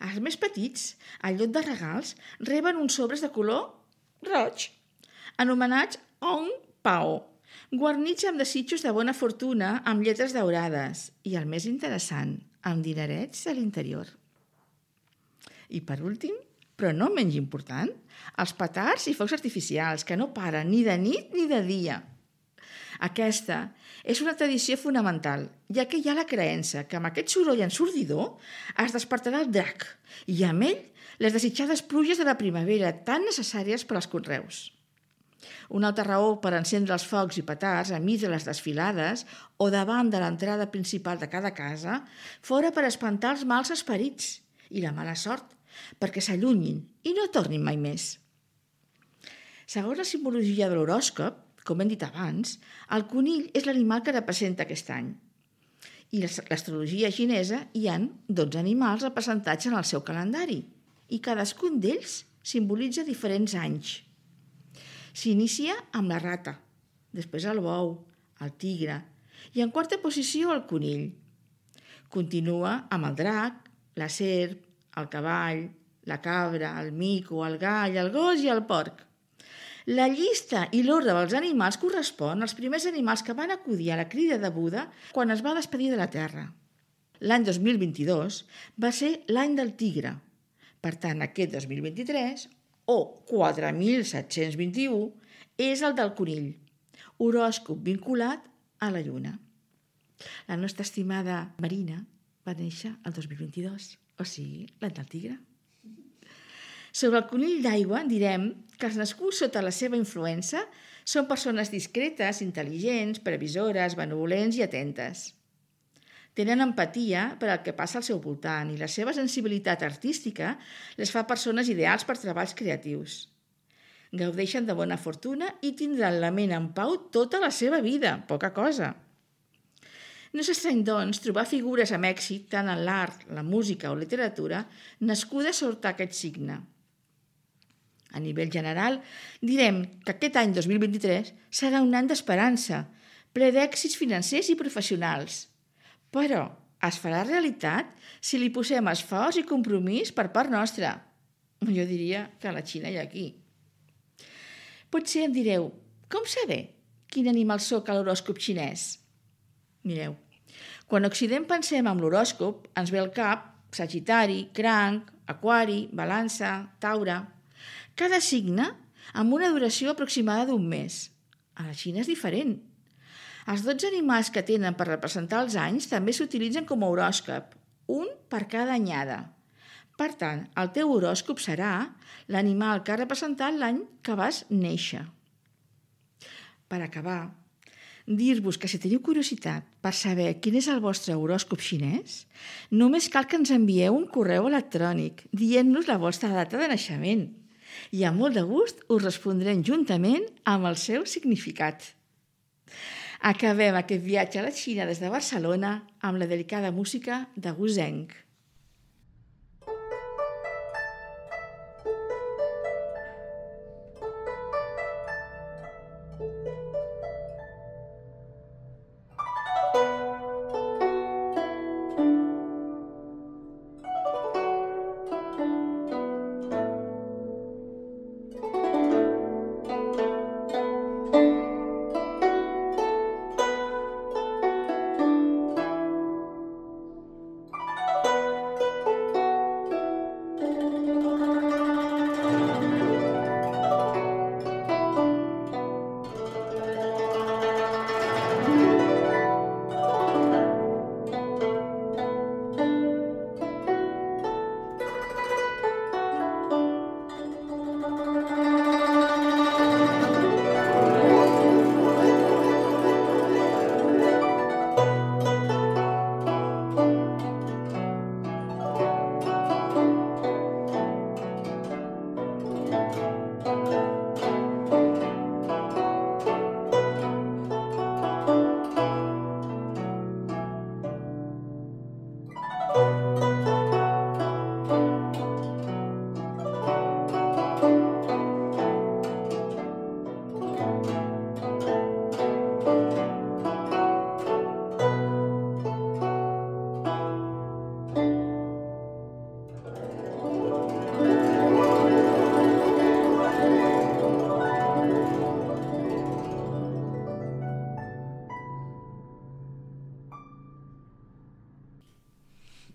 Els més petits, en lloc de regals, reben uns sobres de color roig, anomenats Ong Pao, guarnits amb desitjos de bona fortuna amb lletres daurades i, el més interessant, amb dinerets a l'interior. I per últim, però no menys important, els petards i focs artificials, que no paren ni de nit ni de dia. Aquesta és una tradició fonamental, ja que hi ha la creença que amb aquest soroll ensordidor es despertarà el drac i amb ell les desitjades pluges de la primavera tan necessàries per als conreus. Una altra raó per encendre els focs i petards enmig de les desfilades o davant de l'entrada principal de cada casa fora per espantar els mals esperits i la mala sort, perquè s'allunyin i no tornin mai més. Segons la simbologia de l'horòscop, com hem dit abans, el conill és l'animal que representa aquest any. I l'astrologia xinesa hi ha dotze animals representats en el seu calendari i cadascun d'ells simbolitza diferents anys. S'inicia amb la rata, després el bou, el tigre i en quarta posició el conill. Continua amb el drac, la serp, el cavall, la cabra, el mico, el gall, el gos i el porc. La llista i l'ordre dels animals correspon als primers animals que van acudir a la crida de Buda quan es va despedir de la Terra. L'any dos mil vint-i-dos va ser l'any del tigre. Per tant, aquest dos mil vint-i-tres, o quatre mil set-cents vint-i-u, és el del conill, horòscop vinculat a la lluna. La nostra estimada Marina va néixer el dos mil vint-i-dos, o sigui, l'any del tigre. Sobre el conill d'aigua direm que els nascuts sota la seva influència són persones discretes, intel·ligents, previsores, benevolents i atentes. Tenen empatia per al que passa al seu voltant i la seva sensibilitat artística les fa persones ideals per treballs creatius. Gaudeixen de bona fortuna i tindran la ment en pau tota la seva vida, poca cosa. No s'estrany, doncs, trobar figures amb èxit tant en l'art, la música o literatura nascudes sota aquest signe. A nivell general, direm que aquest any dos mil vint-i-tres serà un any d'esperança, ple d'èxits financers i professionals. Però es farà realitat si li posem esforç i compromís per part nostra. Jo diria que a la Xina i aquí. Potser em direu, com saber quin animal soc a l'horòscop xinès? Mireu, quan a Occident pensem en l'horòscop, ens ve al cap Sagitari, Cranc, Aquari, Balança, Taure. Cada signe amb una duració aproximada d'un mes. A la Xina és diferent. Els dotze animals que tenen per representar els anys també s'utilitzen com a horòscop, un per cada anyada. Per tant, el teu horòscop serà l'animal que ha representat l'any que vas néixer. Per acabar, dir-vos que si teniu curiositat per saber quin és el vostre horòscop xinès, només cal que ens envieu un correu electrònic dient-nos la vostra data de naixement i amb molt de gust us respondrem juntament amb el seu significat. Acabem aquest viatge a la Xina des de Barcelona amb la delicada música de Wu Zheng.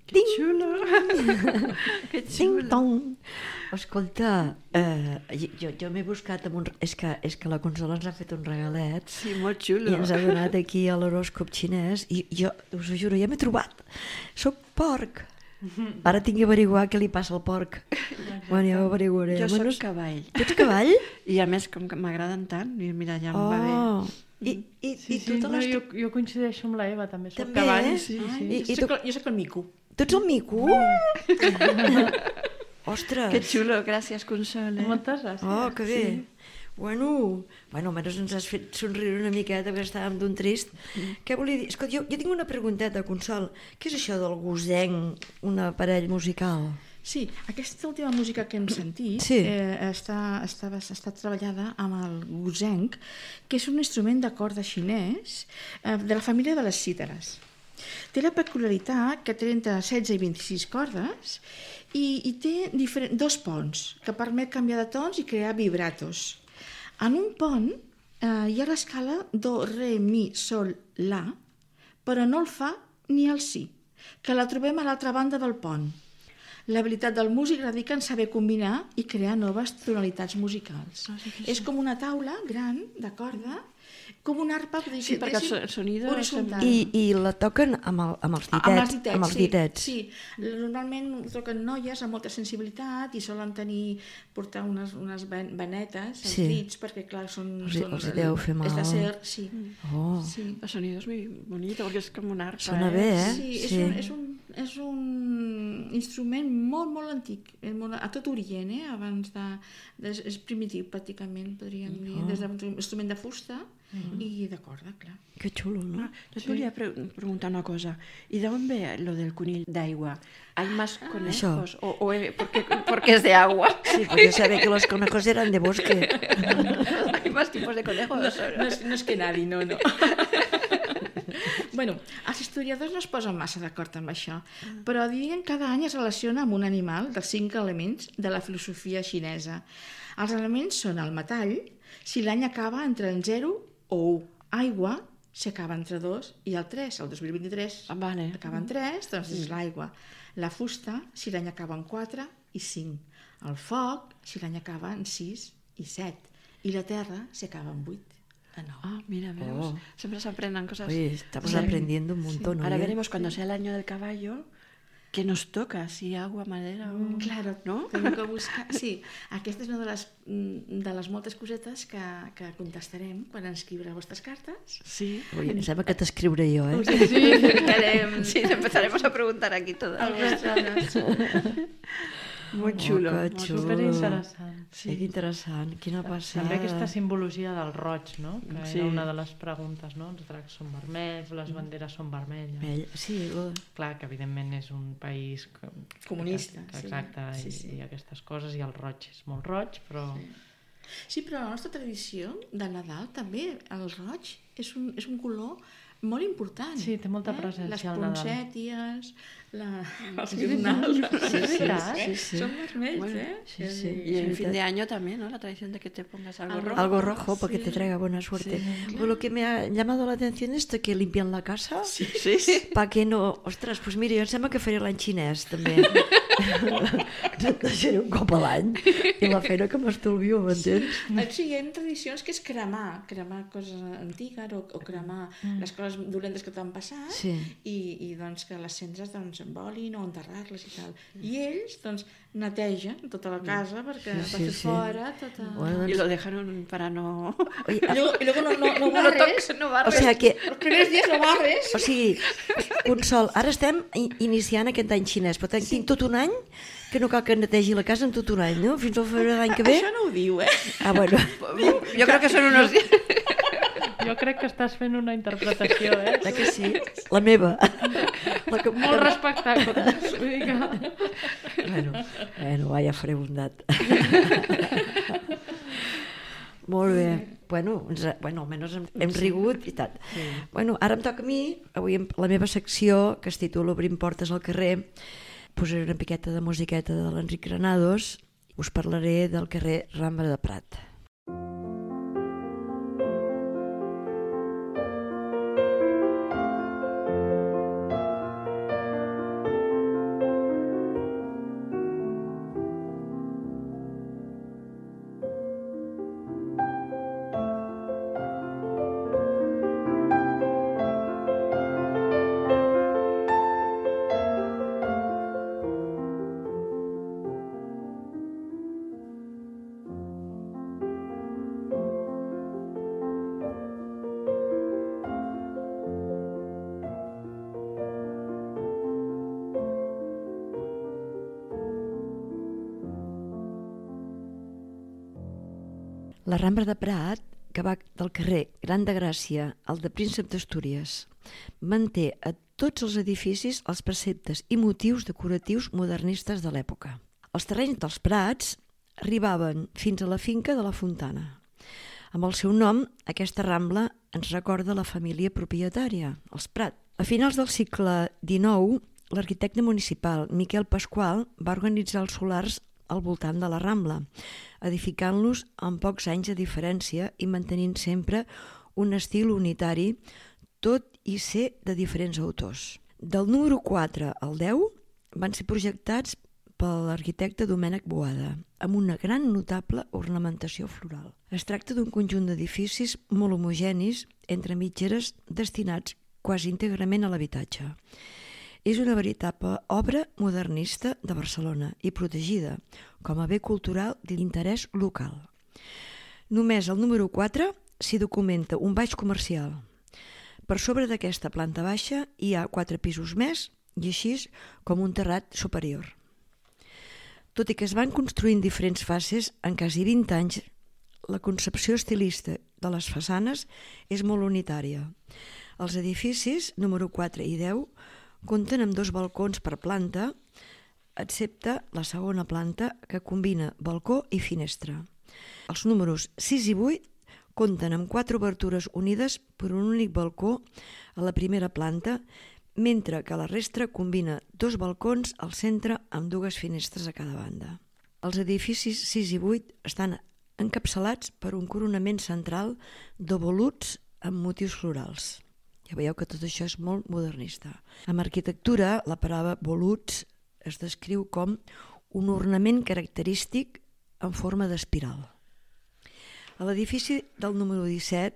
Que xulo! Que xulo! Ding-dong! Escolta, eh, jo, jo m'he buscat amb un... És que, és que la Consola ens ha fet un regalet. Sí, molt xulo. I ens ha donat aquí a l'horòscop xinès i jo, us ho juro, ja m'he trobat. Soc porc. Ara tinc que averiguar què li passa al porc. Bueno, ja ho averiguaré. Jo bueno, soc cavall. Tu ets cavall? I a més, com que m'agraden tant, mira, ja em oh. va bé. I, i, sí, i tu sí, te no, les... jo, jo coincideixo amb la Eva, també soc també, cavall. Eh? Sí, sí. I, i jo, tu... soc, jo soc el mico. Tu ets el mico? Ostres! Que xulo, gràcies, Consol. Eh? Moltes gràcies. Oh, que bé. Sí. Bueno, bueno, almenys ens has fet somriure una miqueta perquè estàvem d'un trist. Mm. Què volia dir? Escolta, jo, jo tinc una pregunteta, Consol. Què és això del Wu Zheng, un aparell musical? Sí, aquesta última música que hem sentit sí. eh, està, està, està treballada amb el Wu Zheng, que és un instrument de corda xinès eh, de la família de les cítares. Té la peculiaritat que té entre setze i vint-i-sis cordes i, i té diferent, dos ponts que permet canviar de tons i crear vibratos. En un pont eh, hi ha l'escala do, re, mi, sol, la, però no el fa ni el si, que la trobem a l'altra banda del pont. L'habilitat del músic radica en saber combinar i crear noves tonalitats musicals. Oh, sí, sí. És com una taula gran de corda, com una arpa, sí, perquè el sonido horitzontal. I, I la toquen amb, el, amb els ditets. Amb els ditets, amb els ditets. Sí, sí. Normalment ho toquen noies amb molta sensibilitat i solen tenir, portar unes, unes venetes, els sí. dits, perquè clar, són... Els, són els deu fer mal. És d'acer, sí. Oh. sí. El sonido és muy bonito, perquè és com una arpa. Sona bé, eh? Sí, és, sí. Un, és, un, és un instrument molt, molt antic, molt, a tot Orient, eh? Abans de, de... És primitiu, pràcticament, podríem dir, oh. des d'un instrument de fusta, Mm. y de corda, claro. Qué chulo, ¿no? Ah, yo te sí. quería pre preguntar una cosa. ¿Y de dónde ve lo del conill d'aigua? ¿Hay más conejos? Ah, o, o porque, porque es de agua? Sí, porque sabe que los conejos eran de bosque. ¿Hay más tipos de conejos? No, no, és, no és que nadie, no, no. Bueno, els historiadors no es posen massa d'acord amb això, però diuen que cada any es relaciona amb un animal dels cinc elements de la filosofia xinesa. Els elements són el metall, si l'any acaba entre el zero o u. Aigua, si acaba entre dos, i el tres, el dos mil vint-i-tres, ah, vale. acaba en tres, doncs és l'aigua. La fusta, si l'any acaba en quatre i cinc. El foc, si l'any acaba en sis i set. I la terra, si acaba en vuit. No. Ah, mira, veus. Oh. Siempre se aprenden cosas. Oye, estamos sí. aprendiendo un montón. Sí. Ahora veremos cuando sea el año del caballo que nos toca, si agua, madera o... Mm, claro, no? Tenim que buscar... Sí, aquesta és una de les, de les moltes cosetes que, que contestarem quan ens escriurà les vostres cartes. Sí. Ui, em sembla que t'escriuré jo, eh? Sí, sí, ficarem... Sí, empezaremos a preguntar aquí todas. Muy xulo, oh, molt superinteressant. Sí, que interessant, quina passada. També aquesta simbologia del roig, no? Que sí. era una de les preguntes, no? Els dracs són vermells, les banderes són vermelles. Bell. Sí, lo... Clar, que evidentment és un país que, comunista, que, que, exacte, sí. Sí, i, sí. i aquestes coses, i el roig és molt roig, però... Sí. Sí, però la nostra tradició de Nadal també, el roig és un, és un color molt important. Sí, té molta presència al Nadal. Les poncèties, la... els guirnals. Sí, sí, sí, sí. Son vermells, bueno, ¿eh? Sí, sí. Y en fin de año también, ¿no? La tradición de que te pongas algo rojo. Algo rojo, para sí. que te traiga buena suerte. Sí, claro. Pues lo que me ha llamado la atención es que limpian la casa. Sí, sí, sí. Para que no... Ostres, pues mira, jo em sembla que faré l'any xinès, també. Deixaré un cop a l'any. I la feina que m'estolvio, m'entens? Sí, hi ha tradicions que és cremar, cremar coses antigues o, o cremar mm. les coses dolentes que t'han passat sí. i, i doncs que les cendres doncs, envolin o enterrar-les i tal. I ells doncs netegen tota la casa perquè sí, sí, per fer sí. fora tota... Bueno, doncs... I lo dejaron para no... Oye, y luego, y luego no, no, no barres. No, no barres. O sea que... Els primers dies no barres. O sigui, Consol, ara estem iniciant aquest any xinès, però tinc sí. tot un any que no cal que netegi la casa en tot un any, no? Fins al febrer de l'any que ve. Això no ho diu, eh? Ah, bueno. Jo crec que són unos dies... Jo crec que estàs fent una interpretació, eh? La que sí? La meva. La que... Molt respectable. Bueno, bueno, va, ja faré bondat. Molt bé. Bueno, ens, bueno, almenys hem, hem rigut i tal. Sí. Bueno, ara em toca a mi, avui la meva secció, que es titula Obrim portes al carrer, posaré una piqueta de musiqueta de l'Enric Granados, us parlaré del carrer Rambla de Prat. La Rambla de Prat, que va del carrer Gran de Gràcia al de Príncep d'Astúries, manté a tots els edificis els preceptes i motius decoratius modernistes de l'època. Els terrenys dels Prats arribaven fins a la finca de la Fontana. Amb el seu nom, aquesta rambla ens recorda la família propietària, els Prat. A finals del segle dinou l'arquitecte municipal Miquel Pasqual va organitzar els solars al voltant de la Rambla, edificant-los amb pocs anys de diferència i mantenint sempre un estil unitari, tot i ser de diferents autors. Del número quatre al deu van ser projectats per l'arquitecte Domènec Boada, amb una gran notable ornamentació floral. Es tracta d'un conjunt d'edificis molt homogenis entre mitgeres destinats quasi íntegrament a l'habitatge. És una veritable obra modernista de Barcelona i protegida com a bé cultural d'interès local. Només al número quatre s'hi documenta un baix comercial. Per sobre d'aquesta planta baixa hi ha quatre pisos més i així com un terrat superior. Tot i que es van construint diferents fases en quasi vint anys, la concepció estilista de les façanes és molt unitària. Els edificis número quatre i deu compten amb dos balcons per planta, excepte la segona planta que combina balcó i finestra. Els números sis i vuit compten amb quatre obertures unides per un únic balcó a la primera planta, mentre que la resta combina dos balcons al centre amb dues finestres a cada banda. Els edificis sis i vuit estan encapçalats per un coronament central de voluts amb motius florals. Ja veieu que tot això és molt modernista. En arquitectura, la paraula voluts es descriu com un ornament característic en forma d'espiral. L'edifici del número disset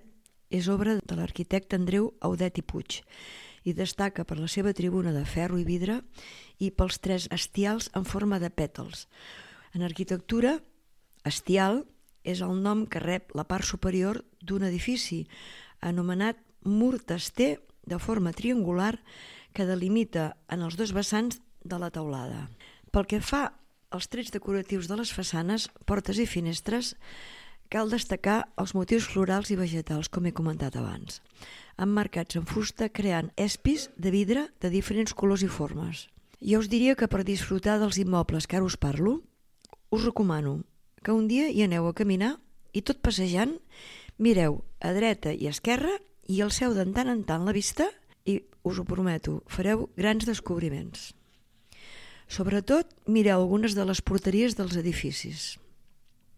és obra de l'arquitecte Andreu Audet i Puig i destaca per la seva tribuna de ferro i vidre i pels tres estials en forma de pètals. En arquitectura, estial és el nom que rep la part superior d'un edifici, anomenat mur tester de forma triangular que delimita en els dos vessants de la teulada. Pel que fa als trets decoratius de les façanes, portes i finestres, cal destacar els motius florals i vegetals, com he comentat abans, emmarcats en fusta creant espis de vidre de diferents colors i formes. Jo us diria que per disfrutar dels immobles que ara us parlo, us recomano que un dia hi aneu a caminar i tot passejant mireu a dreta i a esquerra i alceu de tant en tant la vista i, us ho prometo, fareu grans descobriments. Sobretot, mireu algunes de les porteries dels edificis.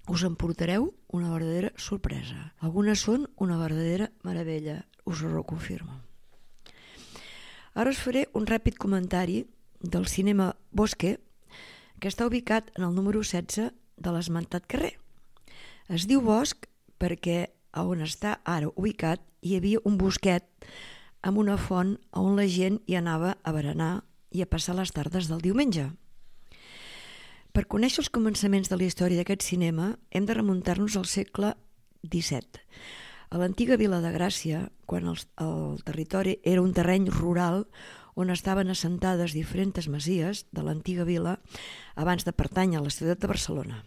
Us emportareu una verdadera sorpresa. Algunes són una verdadera meravella, us ho reconfirmo. Ara us faré un ràpid comentari del cinema Bosque, que està ubicat en el número setze de l'esmentat carrer. Es diu Bosc perquè on està ara ubicat hi havia un bosquet amb una font on la gent hi anava a berenar i a passar les tardes del diumenge. Per conèixer els començaments de la història d'aquest cinema hem de remuntar-nos al segle disset. A l'antiga vila de Gràcia, quan el, el territori era un terreny rural on estaven assentades diferents masies de l'antiga vila abans de pertànyer a la ciutat de Barcelona.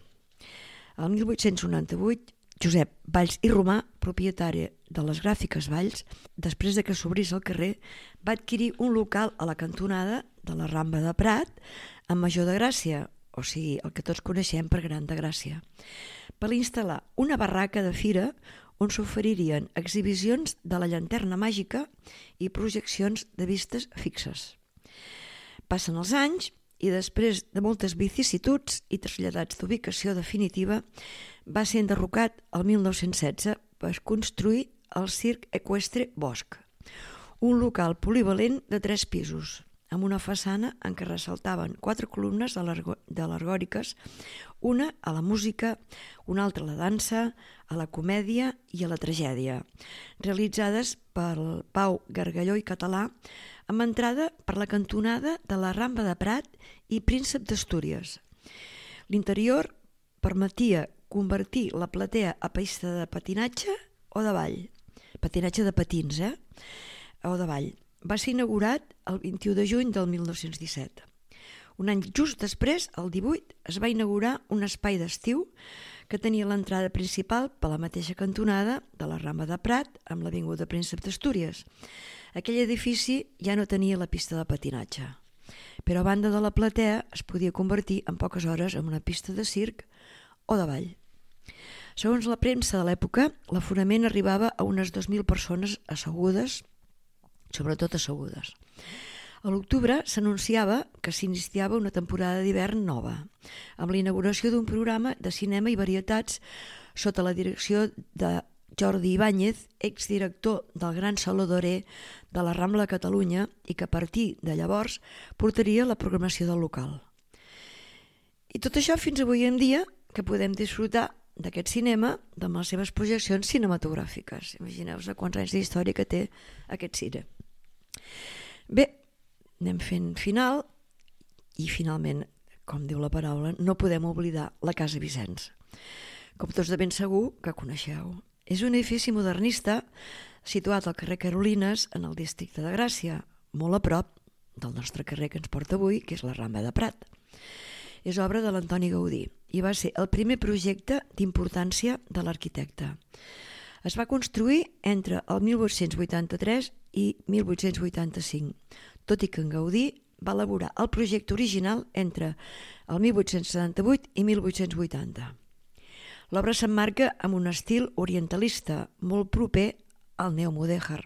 El mil vuit-cents noranta-vuit, Josep Valls i Romà, propietari de les Gràfiques Valls, després de que s'obrís el carrer, va adquirir un local a la cantonada de la Rambla de Prat, amb Major de Gràcia, o sigui, el que tots coneixem per Gran de Gràcia, per instal·lar una barraca de fira on s'oferirien exhibicions de la llanterna màgica i projeccions de vistes fixes. Passen els anys i després de moltes vicissituds i traslladats d'ubicació definitiva, va ser enderrocat el mil nou-cents setze per construir el Circ Eqüestre Bosc, un local polivalent de tres pisos, amb una façana en què ressaltaven quatre columnes alegòriques, una a la música, una altra a la dansa, a la comèdia i a la tragèdia, realitzades per Pau Gargalló i Català, amb entrada per la cantonada de la Rambla de Prat i Príncep d'Astúries. L'interior permetia convertir la platea a pista de patinatge o de ball, patinatge de patins, eh? o de ball. Va ser inaugurat el vint-i-u de juny del mil nou-cents disset. Un any just després, el divuit, es va inaugurar un espai d'estiu que tenia l'entrada principal per la mateixa cantonada de la Rambla de Prat amb l'avinguda Príncep d'Astúries. Aquell edifici ja no tenia la pista de patinatge, però a banda de la platea es podia convertir en poques hores en una pista de circ o de ball. Segons la premsa de l'època, l'aforament arribava a unes dos mil persones assegudes, sobretot assegudes. A l'octubre s'anunciava que s'iniciava una temporada d'hivern nova, amb la inauguració d'un programa de cinema i varietats sota la direcció de Jordi Ibáñez, exdirector del Gran Saló Doré de la Rambla de Catalunya, i que a partir de llavors portaria la programació del local. I tot això fins avui en dia, que podem disfrutar d'aquest cinema amb les seves projeccions cinematogràfiques. Imagineu-vos quants anys d'història que té aquest cine. Bé, anem fent final i finalment, com diu la paraula, no podem oblidar la Casa Vicenç. Com tots de ben segur que coneixeu. És un edifici modernista situat al carrer Carolines en el districte de Gràcia, molt a prop del nostre carrer que ens porta avui, que és la Rambla de Prat. És obra de l'Antoni Gaudí i va ser el primer projecte d'importància de l'arquitecte. Es va construir entre el mil vuit-cents vuitanta-tres i mil vuit-cents vuitanta-cinc, tot i que en Gaudí va elaborar el projecte original entre el mil vuit-cents setanta-vuit i mil vuit-cents vuitanta. L'obra s'emmarca amb un estil orientalista molt proper al neomudèjar,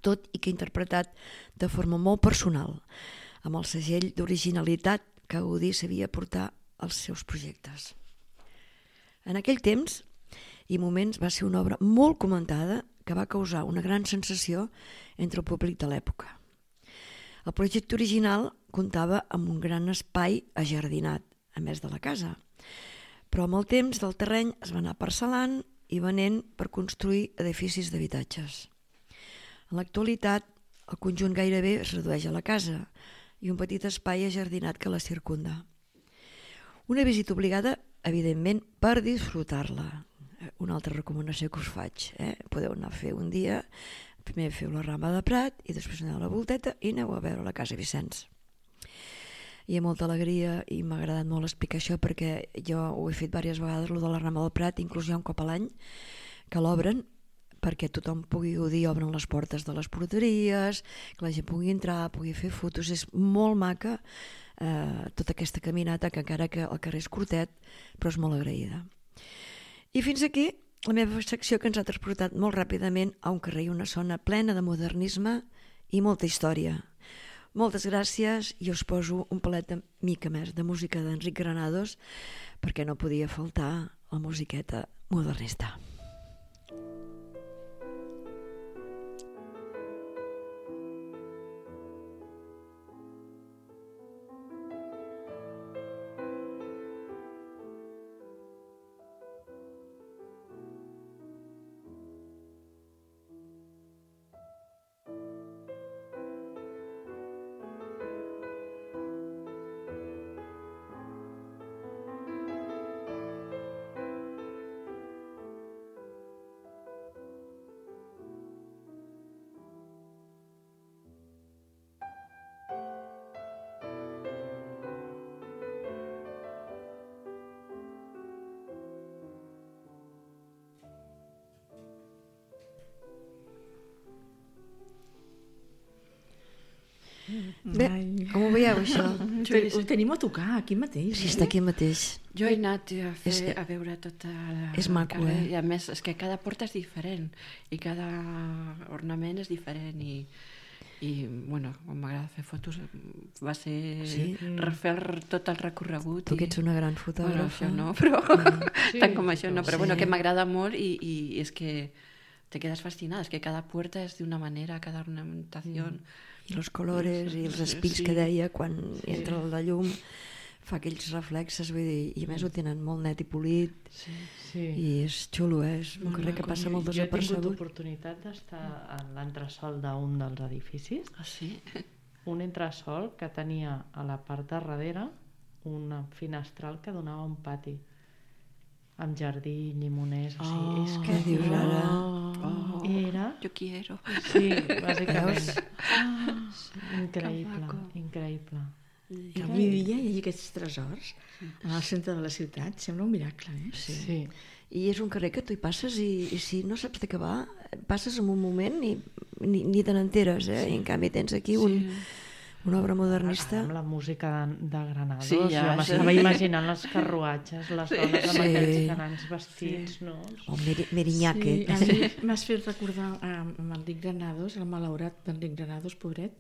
tot i que interpretat de forma molt personal, amb el segell d'originalitat que Gaudí sabia portar als seus projectes. En aquell temps i moments va ser una obra molt comentada que va causar una gran sensació entre el públic de l'època. El projecte original comptava amb un gran espai ajardinat, a més de la casa, però amb el temps del terreny es va anar parcel·lant i venent per construir edificis d'habitatges. En l'actualitat, el conjunt gairebé es redueix a la casa i un petit espai ajardinat que la circunda. Una visita obligada, evidentment, per disfrutar-la. Una altra recomanació que us faig. Eh? Podeu anar a fer un dia, primer feu la Rambla de Prat i després aneu a la Volteta i aneu a veure la Casa Vicenç. I amb molta alegria, i m'ha agradat molt explicar això perquè jo ho he fet diverses vegades, lo de la Rambla del Prat, inclús hi ha un cop a l'any que l'obren perquè tothom pugui gaudir, obren les portes de les porteries, que la gent pugui entrar, pugui fer fotos. És molt maca eh, tota aquesta caminata, que encara que el carrer és curtet, però és molt agraïda. I fins aquí la meva secció, que ens ha transportat molt ràpidament a un carrer i una zona plena de modernisme i molta història. Moltes gràcies i us poso un palet de mica més de música d'Enric Granados perquè no podia faltar la musiqueta modernista. Bé, com ho veieu, això? Ho tenim a tocar, aquí mateix. Sí, està aquí mateix. Jo he anat a, fer, És- a veure tota la, és el maco, carrer, eh? I a més, és que cada porta és diferent i cada ornament és diferent i, i bueno, quan m'agrada fer fotos va ser Sí? refer tot el recorregut. Tu que i- ets una gran Bueno, fotògrafa. això no, però Sí, tant com això no, però sí. bueno, que m'agrada molt i, i és que te quedas fascinada, és que cada puerta és d'una manera, cada ornamentación. I els colores i els espills Sí. que deia quan entra la llum fa aquells reflexes, vull dir, i a més ho tenen molt net i polit Sí, sí. i és xulo, eh? És un carrer que passa molt Jo he tingut desapercebut. oportunitat d'estar en l'entresòl d'un dels edificis, Ah, sí? un entresòl que tenia a la part de darrere una finestral que donava a un pati amb jardí, llimoners, o sigui, és que Què dius ara? Oh, era... yo quiero. Sí, bàsicament. Veus? Increïble, maco. increïble. Que avui dia hi hagi aquests tresors en el centre de la ciutat, sembla un miracle, eh? Sí. sí. I és un carrer que tu hi passes i, i si no saps de què va, passes en un moment i ni, ni te n'enteres, eh? Sí. I en canvi tens aquí un, una obra modernista. Amb la música de, de Granados, Sí, ja, jo m'estava sí. imaginant els carruatges, les dones amb Sí. aquells grans vestits, no? O Meri- Meriñaque. Sí, a mi m'has fet recordar eh, amb Enric Granados, el malaurat Enric Granados, pobret,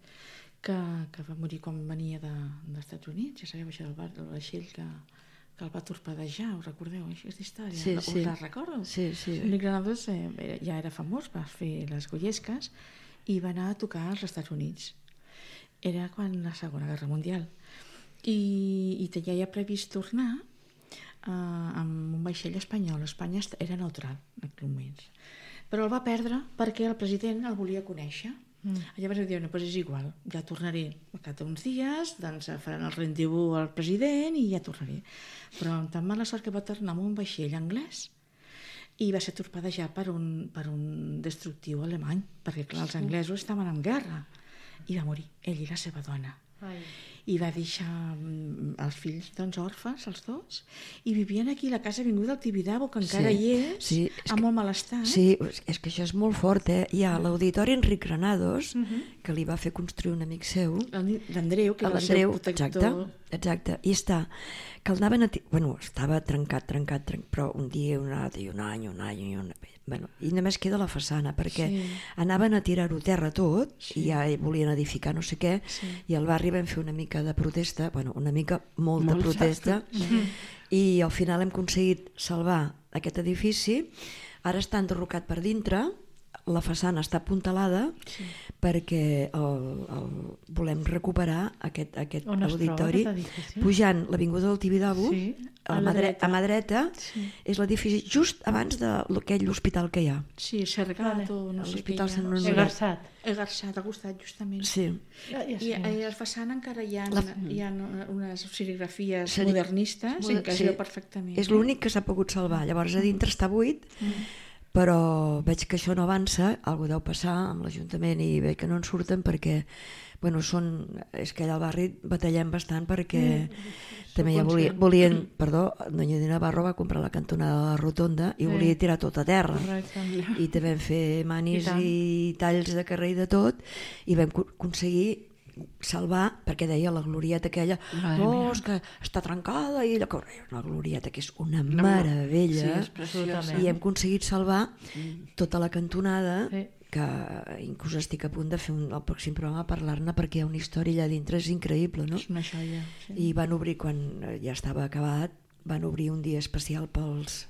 que, que va morir quan venia de, dels Estats Units. Ja sabeu, això del, bar, del vaixell que, que el va torpedejar, us recordeu aquesta història? Sí, us sí. la recordo? Sí, sí. Nick Granados eh, ja era famós, va fer les Goyesques i va anar a tocar als Estats Units. Era quan la Segona Guerra Mundial. I, i tenia ja previst tornar eh, amb un vaixell espanyol. Espanya era neutral en aquell moment. Però el va perdre perquè el president el volia conèixer. Mm. Llavors va dir, no, doncs és igual, ja tornaré a cada uns dies, doncs faran el rendezvous al president i ja tornaré. Però amb tan mala sort que va tornar amb un vaixell anglès i va ser torpedejat per un, per un destructiu alemany, perquè clar, els anglesos estaven en guerra, i va morir, ell i la seva dona. Ai. I va deixar els fills doncs, orfes, els dos, i vivien aquí a la casa Avinguda del Tibidabo, que encara sí, hi és, sí, és amb que, molt mal estat. Sí, és que això és molt fort, eh? Hi ha l'auditori Enric Granados, uh-huh. que li va fer construir un amic seu. L'Andreu, que era el seu protector. Exacte, exacte. I està, que el anaven a... Bueno, estava trencat, trencat, trencat, però un dia, un altre, i un any, un any, i un... Bueno, i només queda la façana, perquè sí. anaven a tirar-ho terra tot, sí. i ja volien edificar no sé què, sí. i al barri vam fer una mica de protesta, bueno, una mica, molta Molt protesta, mm-hmm. i al final hem aconseguit salvar aquest edifici. Ara està enderrocat per dintre, la façana està apuntalada, sí. perquè el, el, volem recuperar aquest, aquest auditori, aquest pujant l'Avinguda del Tibidabo, sí. a, a, la dreta. a mà dreta, sí. és l'edifici just abans d'aquell hospital que hi ha. Sí, Cercat o no sé què hi ha. Egarçat. Egarçat, al costat, justament. Sí. Ja, ja I, I a la façana encara hi ha, la... hi ha unes serigrafies Seri... modernistes, Moder... en què es sí. veu perfectament. És l'únic que s'ha pogut salvar. Llavors, a dintre està buit, mm. però veig que això no avança, alguna deu passar amb l'Ajuntament i veig que no en surten perquè, bueno, són, és que allà al barri batallem bastant perquè mm, també ja volien, volien, perdó, Doña Dina Navarro va comprar la cantonada de la rotonda i sí. volia tirar tot a terra. Correcte. I també vam fer manis i, i talls de carrer i de tot i vam aconseguir salvar, perquè deia la glorieta aquella, no, oh, és que està trencada i la, una glorieta que és una no, meravella, sí, i hem aconseguit salvar mm. tota la cantonada, sí. que inclús estic a punt de fer un, el pròxim programa a parlar-ne perquè hi ha una història allà dintre, és increïble, no? És una joia, sí. I van obrir, quan ja estava acabat, van obrir un dia especial pels,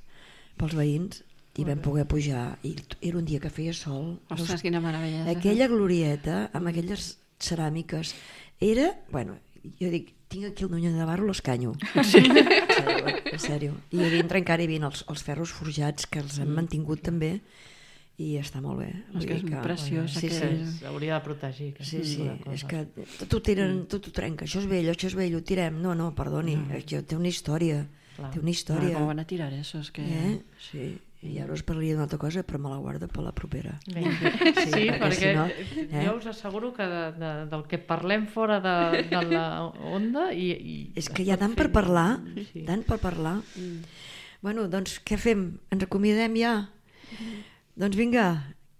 pels veïns i vam poder pujar, i era un dia que feia sol. Ostres, quina meravella. Aquella glorieta, amb aquelles ceràmiques, era, bueno, jo dic, tinc aquí el Núñez de Navarro, l'escanyo. Sí. En sèrio, en sèrio. I a dintre encara hi havia els, els ferros forjats que els han mantingut també i està molt bé. És que és que, preciós. Sí, sí. S'hauria de protegir. Sí, sí, és que tot ho tiren, tot ho trenca, això és vell, això és vell, ho tirem. No, no, perdoni, no. Això té una història. Clar. Té una història. Com van a tirar això? És que... Eh? Sí. I ara us parlaria d'una altra cosa, però me la guardo per la propera. Sí, sí, sí, perquè, perquè si no, eh? jo us asseguro que de, de, del que parlem fora de, de la onda... I, i és que hi ha tant per parlar, sí. tant per parlar. Mm. Bueno, doncs què fem? Ens acomiadem ja? Mm. Doncs vinga,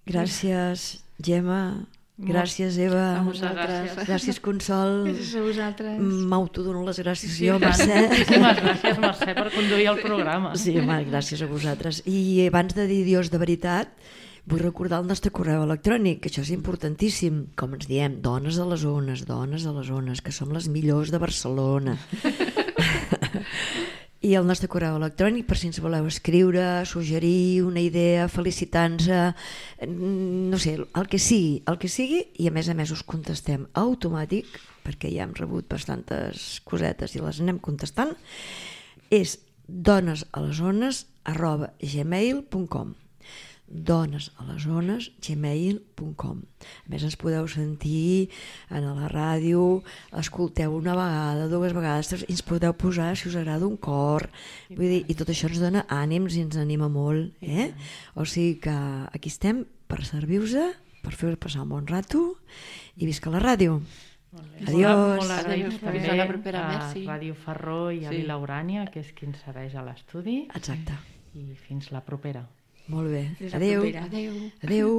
gràcies Gemma, gràcies Eva, a vosaltres. Gràcies Consol, gràcies a vosaltres. M'autodono les gràcies sí, jo, Mercè. Moltíssimes gràcies, Mercè, per conduir el programa. Sí, home, gràcies a vosaltres. I abans de dir adiós de veritat, vull recordar el nostre correu electrònic, que això és importantíssim. Com ens diem, dones a les zones, dones a les zones, que som les millors de Barcelona. I el nostre correu electrònic, per si ens voleu escriure, suggerir una idea, felicitar-nos, no sé, el que sigui, el que sigui, i a més a més us contestem automàtic, perquè ja hem rebut bastantes cosetes i les anem contestant, és donesalasones arroba gmail punt com donesalasones arroba gmail punt com. A més ens podeu sentir a la ràdio, escolteu una vegada, dues vegades, i ens podeu posar si us agrada un cor, vull dir, i tot això ens dona ànims i ens anima molt, eh? O sigui que aquí estem per servir-vos, per fer-vos passar un bon rato i visca la ràdio. Adiós. Molt agraïts també a Ràdio Ferró i a Lila Urània, que és qui ens segueix a l'estudi. Exacte. I fins la propera. Molt bé. Adéu. Adéu. Adéu.